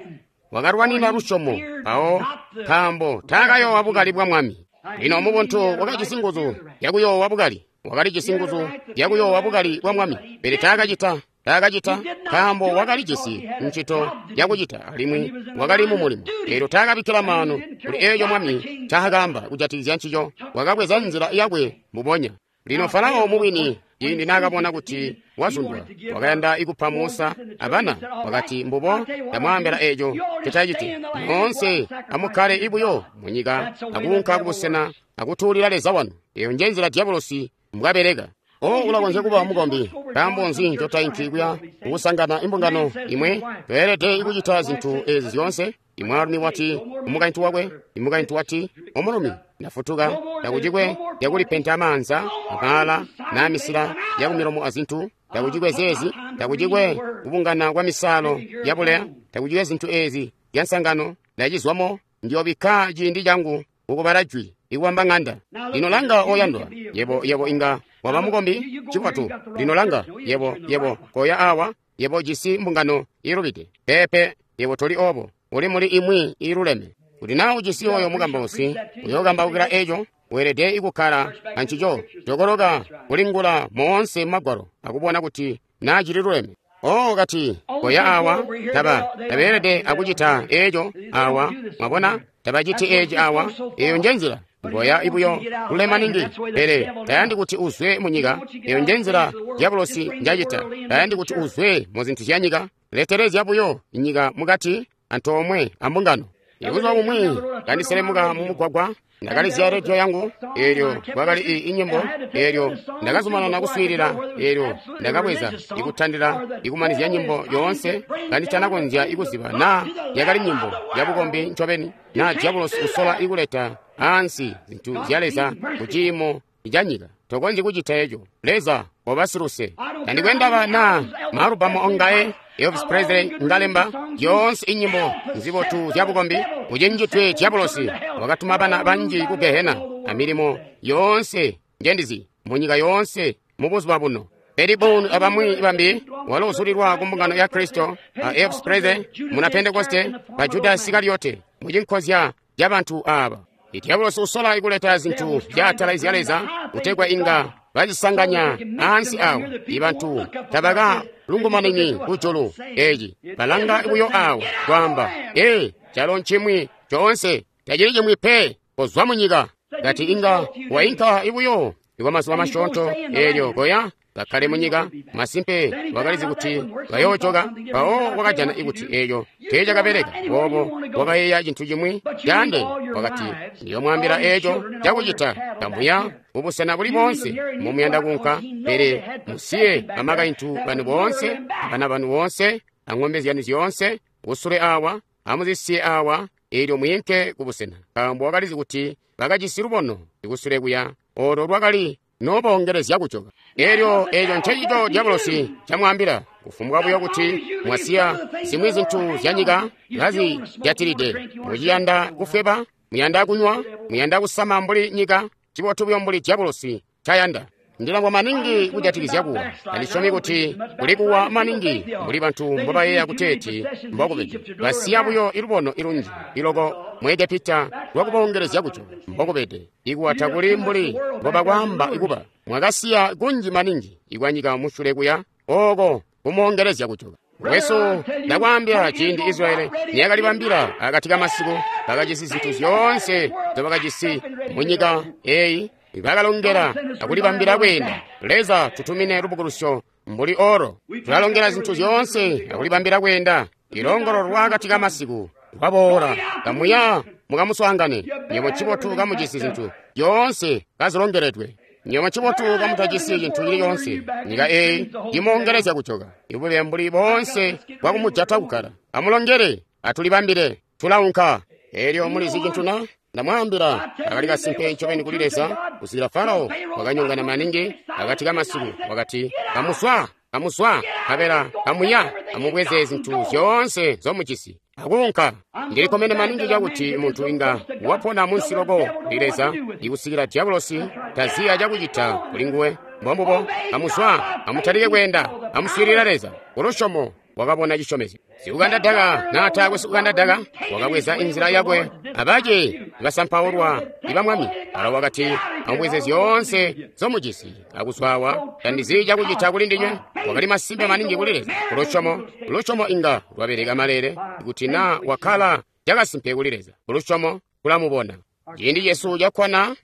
wakalwanina lusyomo mpawo, nkaambo taakayoowa bukali bwa Mwami. Lino mubuntu wakajisi nguzu yakuyoowa bukali, wakalijisi nguzu yakuyoowa bukali bwa Mwami, pele taakacita, taakacita nkaambo wakalijisi ncito yakucita alimwi wakali mu mulimo. Eelyo taakabikkila maanu kuli eeco Mwami ncaakaamba kujatikizya ncico, wakabweza nzila yakwe mbubonya. Lino Farao mubwini ciindi naakabona kuti wazundwa, wakayanda ikupa Musa abana, wakati, mbubo, ndamwaambila eeco ncotacite. Moonse amukkale ibuyo munyika akuunka kubusena akutuulila Leza wanu. Eyo njenzila dyabulosi mbwabeleka. O, ulakonzya kuba mukombi. Nkaambo nzi ncotainki kuya kukusangana imbungano imwe? Tweelede kucita zintu ezi zyoonse. Imwaalumi wati umukaintu wakwe, imukaintu wati omulumi, ndafutuka, takucikwe yakulipenta amaanza, amaala, naa misila yakumilomo azintu, takucikwe zeezi, takucikwe kubungana kwa misaalo yabuleya, takucikwe zintu ezi zyansangano, ndacizwamo, ndiyobikka ciindi cangu kukubala jwi ikubamba ng'anda. Lino langa oyandwa, yebo yebo inga waba mukombi, cibotu. Lino langa, yebo yebo koya awa, yebo jisi mbungano iilubide. Peepe, yebo toli obo, uli muli imwi iiluleme. Kuti naa ujisi oyo mukambausi uyookambaukila eco, weelede ikukkala ancico, jokoloka kulingula moonse mumagwalo akubona kuti naa cililuleme. O kati, koya awa, taba tabeelede akucita eco awa, mwabona, tabaciti eci awa, eyo njenzila. Ngoya ibuyo lule maningi, pele tayandi kuti uzwe munyika. Eyo njenzila dyabulosi njacita. Tayandi kuti uzwe mu zintu zya nyika. Letelezya buyo inyika mukati antoomwe ambungano. Ibuzuba bumwi kandiselemuka mumugwagwa, ndakalizya rediyo yangu, eelyo kwakali i inyimbo, eelyo ndakazumanana kuswiilila, eelyo ndakabweza ikutandila ikumanizya nyimbo yoonse kanditanakonzya ikuziba naa yakali nyimbo yabukombi ncobeni naa dyabulosi usola ikuleta ansi zintu zya Leza kuciimo canyika. Tokonzyi kucita eco. Leza obasiluse. Tandikwe ndaba naa maalubamu ongaye Elvis Presley ngalemba yoonse inyimbo nzibotu zya bukombi, ucenjitwe dyabulosi wakatuma bana banji ku Gehena amilimo yoonse njendizi munyika yoonse mubuzuba buno. Elibon abamwi bambi walo uzulilwa ku mbungano ya Kristo a Elvis Presley muna Pentekoste ba Judas Iskariote mucinkozya ca bantu aba. Idyabulosi usola ikuleta zintu zyaatala zya Leza kutegwa inga bazisanganya ansi awo. Ibantu tabaka lungumanini kujulu eci balanga buyo awo kwaamba, ee, calo ncimwi coonse tacili cimwi pe, kozwa munyika. Kati inga wainka ibuyo ikwa mazuba masyoonto, eelyo koya kakkale munyika. Masimpe wakalizi kuti bayoojoka. Mpawo wakajana ikuti eeco teecakabeleka. Boobo wakayeeya cintu cimwi caande, wakati, ndiyomwaambila eeco cakucita. Kamuya mubusena buli boonse momuyanda kuunka, pele musiye bamakaintu banu boonse, abana banu boonse, ang'ombe zyanu zyoonse kusule awa, amuzisiye awa, eelyo mwiinke kubusena. Nkaambo wakalizi kuti bakajisi lubono ikusule kuya, olo lwakali noboongelezya kujoka. Eelyo eeco ncencico dyabulosi camwaambila. Kufumbwa buyo kuti mwasiya zimwi zintu zya nyika kazijatilide, muciyanda kufweba, muyanda kunywa, muyanda kusama mbuli nyika, cibotu buyo mbuli dyabulosi cayanda. Ndilangwa maningi kujatikizya kuwa. Andisyomi kuti kuli kuwa maningi mbuli bantu mbobayeeya kuteeti mbokubede. Basiya buyo ilubono ilunji iloko mu Egepita lwakuboongelezya kujoka mbokubede. Ikuwa takuli mbuli mbobakwaamba ikuba. Mwakasiya kunji maningi ikwanyika musyule kuya ooko kumoongelezya kujoka. Wesu ndakwaambila ciindi Israeli niyakalibambila akati kamasiku, bakajisi zintu zyoonse nzyobakajisi munyika eeyi, bakalongela akulibambila kweenda. Leza tutumine lubukulusyo mbuli oro. Tulalongela zintu zyoonse akulibambila kweenda. Ilongolo lwakati kamasiku lwaboola. Kamuya mukamuswaangane. Nywebo cibotu kamujisi zintu zyoonse kazilongeledwe. Nywebo cibotu kamutajisi cintu cili coonse. Nyika eeyi imoongelezya kujoka. Ibube mbuli boonse bwakumujata kukkala. Amulongele, atulibambile, tulaunka. Eelyo mulizi cintu na? Ndamwaambila, akali kasimpe ncobeni kuli Leza, kusikila Farao wakanyongana maningi akati kamasiku, wakati, kamuswa, kamuswa, nkabela kamuya, amubweze zintu zyoonse nzomujisi akuunka. Ndilikkomene maningi cakuti muntu inga wapona munsi loko kuli Leza, ikusikila dyabulosi taziya cakucita kuli nguwe. Mbombubo, kamuswa, amutalike kweenda, amuswiilila Leza. Kulusyomo wakabona cisyomezyo. Sikukanda daka naatakwe sikukanda daka wakabweza inzila yakwe, abace basampaulwa iba mwami. Alo wakati, amubweze zyoonse nzomujisi akuzwawa, tandizi cakucita kuli ndinywe. Wakali masimpe maningi kuli Leza. Kulusyomo, lusyomo inga lwabeleka malele kuti naa wakkala cakasimpe kuli Leza. Kulusyomo kulamubona. Ciindi cesu cakkwana,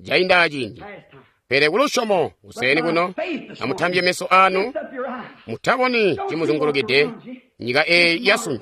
cainda aciindi. Pele kulusyomo kuseeni kuno, amutambye meso anu, mutaboni cimuzungulukide nyika eyi yasunu,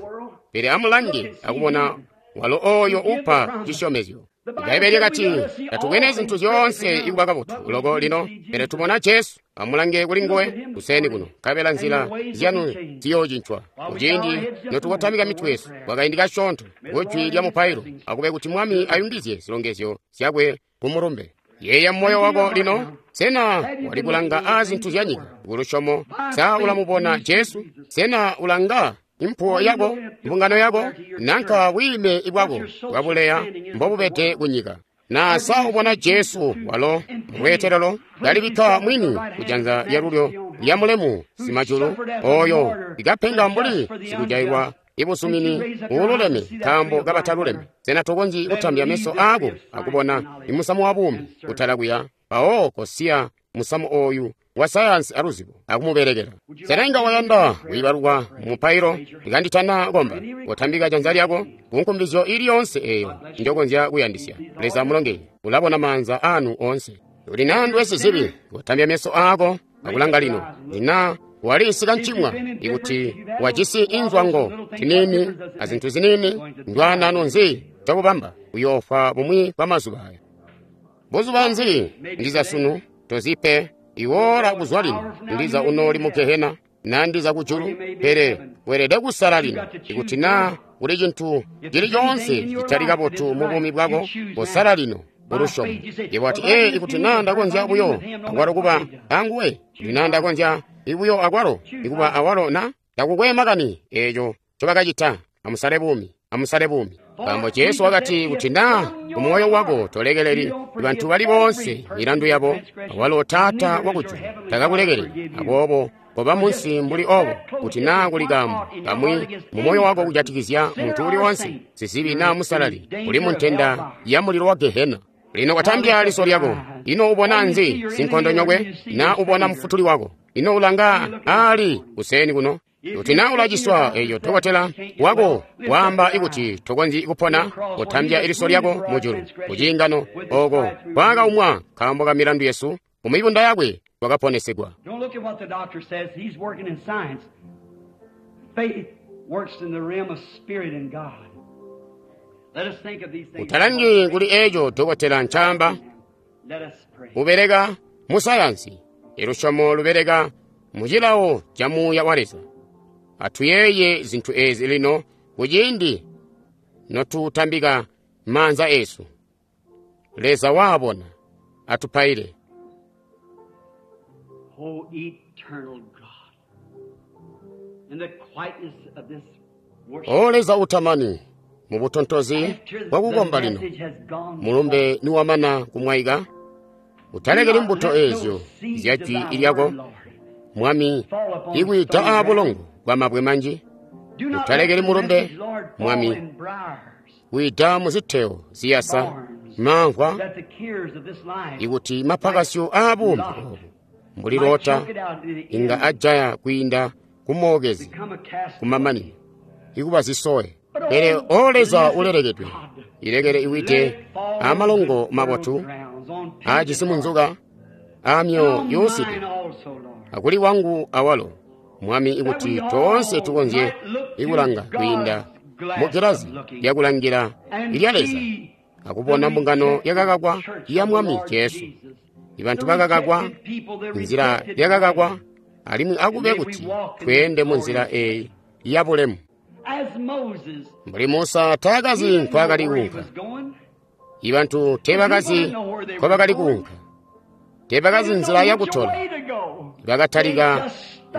pele amulange akubona walo oyo upa cisyomezyo. Ibbaibbele lyakati tatukene zintu zyoonse ikuba kabotu loko lino, pele tubona Jesu. Amulange kuli nguwe kuseeni kuno, nkabela nzila zyanu ziyoocincwa. Kuciindi notukotamika mitwe yesu kwakaindi kasyoonto kujwi lya mupailo, akube kuti Mwami ayungizye zilongezyo zyakwe kumulumbe. Yeeya moyo wako lino. Sena wali kulanga aa zintu zya nyika kulusyomo? Sa ulamubona Jesu? Sena ulanga impuwo yako, mbungano yako, nanka bwiime bwako bwabuleya mbobubede kunyika? Na sa ubona Jesu walo mulweetelelo kalibikka mwini kujanza lyalulyo lya mulemu simajulu, oyo ikapenga mbuli sikujailwa ibusumini uululeme nkaambo kabataluleme? Sena tokonzyi kutambya meso aako akubona imusamu wa buumi kutala kuya? Mpawo kosiya musamu oyu wa sayansi aluzibo akumubelekela. Sena inga wayanda kuibalukwa mumupailo ikanditana komba? Kotambika janza lyako kunkumbizyo ili yoonse eyo njokonzya kuyandisya. Leza amulongeye. Ulabona maanza anu oonse. Uli nandwe sizibi, kotambya meso aako akulanga lino. Lina walisika ncimwa ikuti wajisi inzwango zinini azintu zinini, ndwanano nzi cakubamba uyoofa bumwi bwa mazuba aya. Buzuba nzi ndiza sunu tozipe iwora kuzwa lino, ndiza unoli mu gehena na ndiza kujulu, pele weelede kusala lino. Ikuti na kuli cintu cili coonse citali kabotu mu buumi bwako, kosala lino kulusyomo. Yebo ati, ee, ikuti na ndakonzya buyo akwalo kuba anguwe, kuti na ndakonzya ibuyo akwalo ikuba awalo, na takukwe makani eeco ncobakacita. Amusale buumi, amusale buumi. Nkaambo Jesu wakati, kuti na kumoyo wako tolekeleli bantu bali boonse milandu yabo, awalo Taata wakujulu takakulekeleli. Aboobo koba munsi mbuli obo, kuti na kuli kaambo kamwi mu moyo wako kujatikizya muntu uli wonse, sizibi na musalali, uli mu ntenda ya mulilo wa gehena. Lino kwatambya liso lyako, ino ubona nzi sinkondonyokwe? Na ubona mufutuli wako? Ino ulanga ali kuseeni kuno? Kuti na ulaciswa, eyo dokotela wako waamba ikuti tokonzyi kupona, kotambya iliso lyako mujulu kuciingano oko kwakaumwa nkaambo ka milandu yesu, mu mibunda yakwe twakaponesegwa. Don't look at what the doctor says. He's working in science. Faith works in the realm of spirit and God. Let us think of these things. Utalangi kuli eco dokotela ncaamba, Let us pray. ubeleka mu sayansi. Ilusyomo lubeleka mu cilawo ca muuya wa Leza. Atuyeeye zintu ezi lino kuciindi notutambika maanza esu. Leza waabona, atupaile. O eternal God, in the quietness of this worship, O Leza utamani, mu butontozi after bwa the kukomba lino, message has gone mulumbe niwamana kumwaika, utalekeli mbuto ezyo zya jwi lyako, Mwami, ikwiita aabulongo bwa mabwe manji, Do not utalekeli let the mulumbe, message, Lord, fall Mwami, in briars, kwiita mu ziteo ziyasa mamvwa, that the cares of this life ikuti mapakasyo aabuumi obu mbuli might lota choke it out to the inga end, ajaya kwiinda kumookezi become a castaway. kumamanino ikuba zisowe. Pele o Leza ulelekedwe, ilekele iwite amalongo mabotu aajisi munzuka aamyoyo yuuside akuli wangu awalo Mwami, ikuti toonse tukonzye ikulanga kwiinda mu gilazi lyakulangila ilya Leza akubona mbungano yakakakwa ya Mwami Jesu, ibantu bakakakwa, nzila yakakakwa, alimwi akube kuti tweende mu nzila eyi ya bulemu. Mbuli Musa taakazi nkwaakali kuunka, ibantu teebakazi nkobakali kuunka, teebakazi nzila yakutola, bakatalika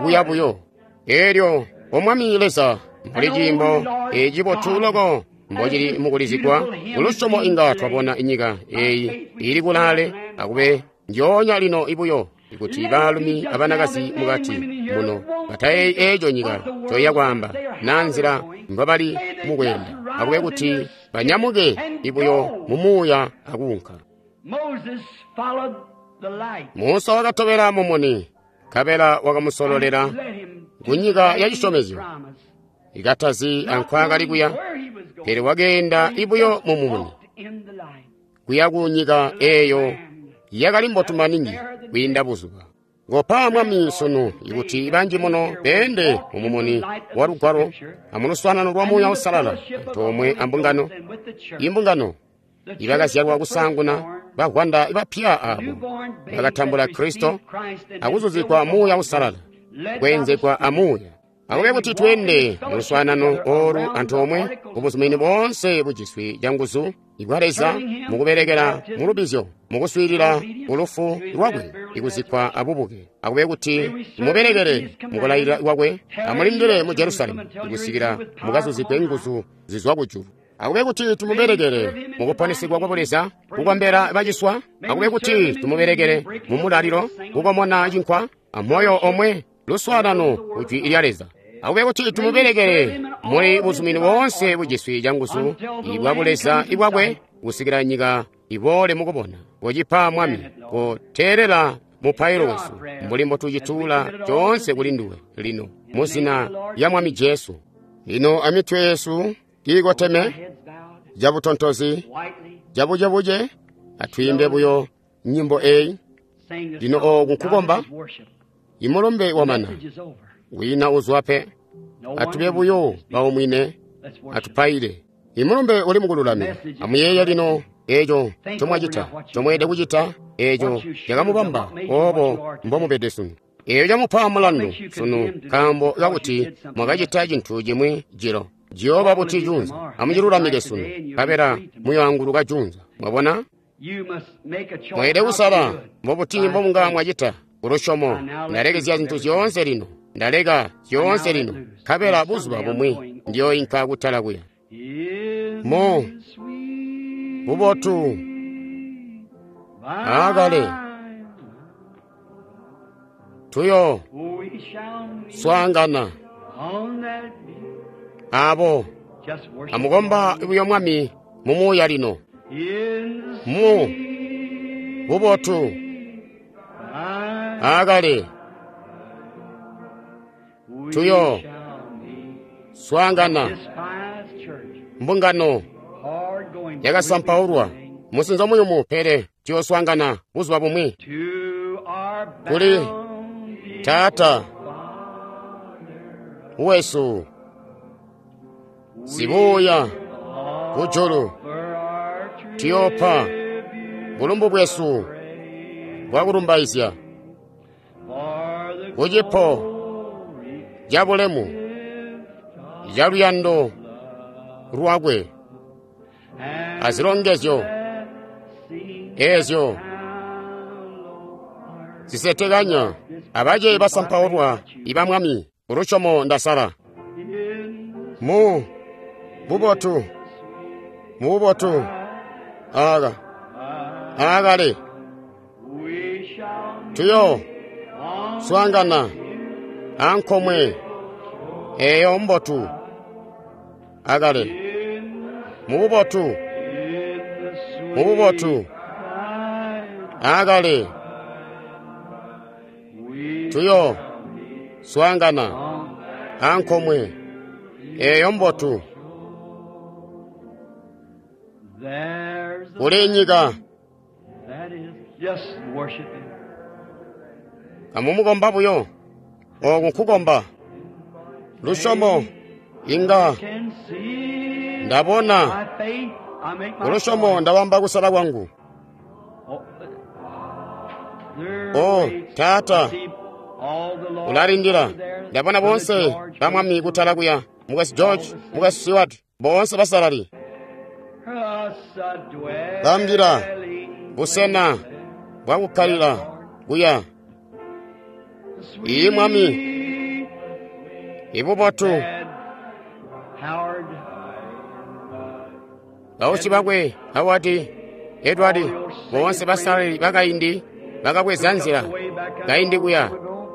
kuya buyo. Eelyo O Mwami Leza, mbuli ciimbo ecibotu loko mbocili mukulizigwa, kulusyomo inga twabona inyika eyi ili kulaale, akube njoonya lino ibuyo ikuti baalumi abanakazi mukati muno batayeeyi eeco nyika coiya kwaamba na nzila mbabali mukweenda, akube kuti banyamuke ibuyo mu muuya akuunka. Moses followed the light. Musa wakatobela mumuni, nkabela wakamusololela Led him ku nyika ya cisyomezyo, promise. ikatazi ankwaakali kuya, Where he was going. pele wakeenda ibuyo mu mumuni Walked in the light. kuya ku nyika eeyo Yakali mbotu maningi kwiinda buzuba. Kopa Mwami sunu ikuti banji muno beende mumumuni wa Lugwalo amuluswaanano lwa Muuya Uusalala antoomwe ambungano. Imbungano ibakazyalwa kusaanguna bavwanda bapya abo bakatambula Kristo akuzuzikwa Muuya Uusalala, kweenzegwa a Muuya. Akube kuti tweende muluswaanano olu antoomwe kubuzumini boonse bujiswi canguzu ibwa Leza mukubelekela mulubizyo, mukuswiilila kulufu lwakwe ikuzikkwa abubuke. Akube kuti mubelekele mukulayilila kwakwe, amulindile mu Jerusalemu ikusikila mukazuzigwe nguzu zizwa kujulu. Akube kuti tumubelekele mukuponesigwa kwa Buleza, kukombela baciswa. Akube kuti tumubelekele mumulalilo, kukomona cinkwa amoyo omwe, luswaanano kujwi lya Leza. Akube kuti tumubelekele muli buzumini boonse bujiswi canguzu ibwa Buleza ibwakwe kusikila nyika iboole mukubona. Kocipa Mwami, koteelela mupailo wesu mbuli mbotucituula coonse kuli nduwe lino muzina lya Mwami Jesu. Lino amitwe yesu kiikoteme cabutontozi cabucebuce, atwiimbe buyo nyimbo eyi. Lino ooku nkukomba, imulumbe wamana, wina uzwa pe. Atube buyo baumwine, atupaile. Imulumbe uli mukululamika. Amuyeeye lino eeco ncomwacita, ncomweelede kucita, eeco cakamubamba oobo mbomubede sunu. Eeco camupa mulandu sunu nkaambo kakuti mwakacita cintu cimwi jilo. Ciyooba buti junza? Amucilulamike sunu, nkabela muyoanguluka junza. Mwabona? Mweelede kusala mbobuti mbomunga mwacita kulusyomo. Ndalekezya zintu zyoonse lino, ndaleka zyoonse lino, nkabela buzuba bumwi ndiyooinka kutala kuya. Mu bubotu aakale tuyo swaangana abo amukomba buyo Mwami mumuuya lino. Mu bubotu aakale tuyo swaangana mbungano yakasampaulwa musinzo muyumu, pele tuyoswaangana buzuba bumwi kuli Taata wesu sibuya kujulu. Tuyoopa bulumbu bwesu bwakulumbaizya kucipo cabulemu caluyando lwakwe azilongezyo eezyo zisetekanya abace basampaulwa iba Mwami. Kulusyomo ndasala mu bubotu, mu bubotu aka aakale tuyo swaangana ankomwe eyo mbotu akale mu bubotu, mu bubotu aakale tuyo swaangana ankomwe eyo mbotu. Kuli nyika kamumukomba buyo. Ooku nkukomba lusyomo. Inga ndabona kulusyomo ndawamba kusala kwangu. O Taata, ulalindila. Ndabona bonse ba Mwami kutala kuya, Mukwesu George, Mukwesu Stewart, bonse basalali. Bambila busena bwakukkalila kuya. Iyi Mwami, ibubotu bausi bakwe Howard, Edward, bonse basalali bakaindi bakabweza nzila kaindi kuya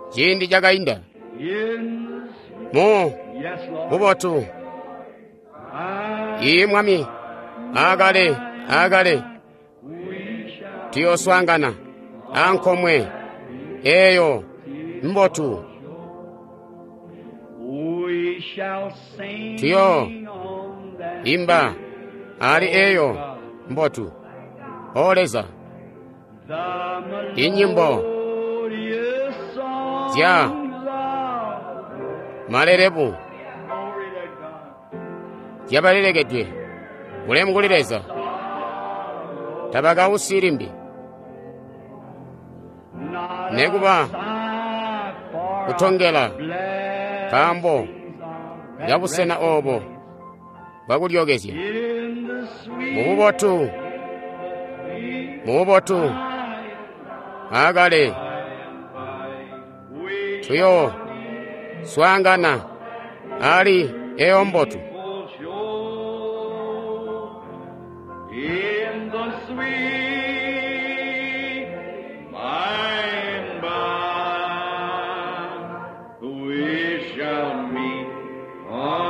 ciindi cakainda. Mu bubotu iyi Mwami, aakale aakale tuyoswaangana ankomwe eyo mbotu. Tuyo imba ali eyo mbotu. O Leza, The Inyimbo melodious songs zya of malelebu glory to God. zyabalelekedwe bulemu kuli Leza tabakausi limbi Not nekuba a sigh for kutongela our blessings nkaambo of ya busena obo bwakulyookezya In the sweet mububotu mububotu aakale we tuyo swaangana ali eyo mbotu will show in the sweet by and by we shall meet on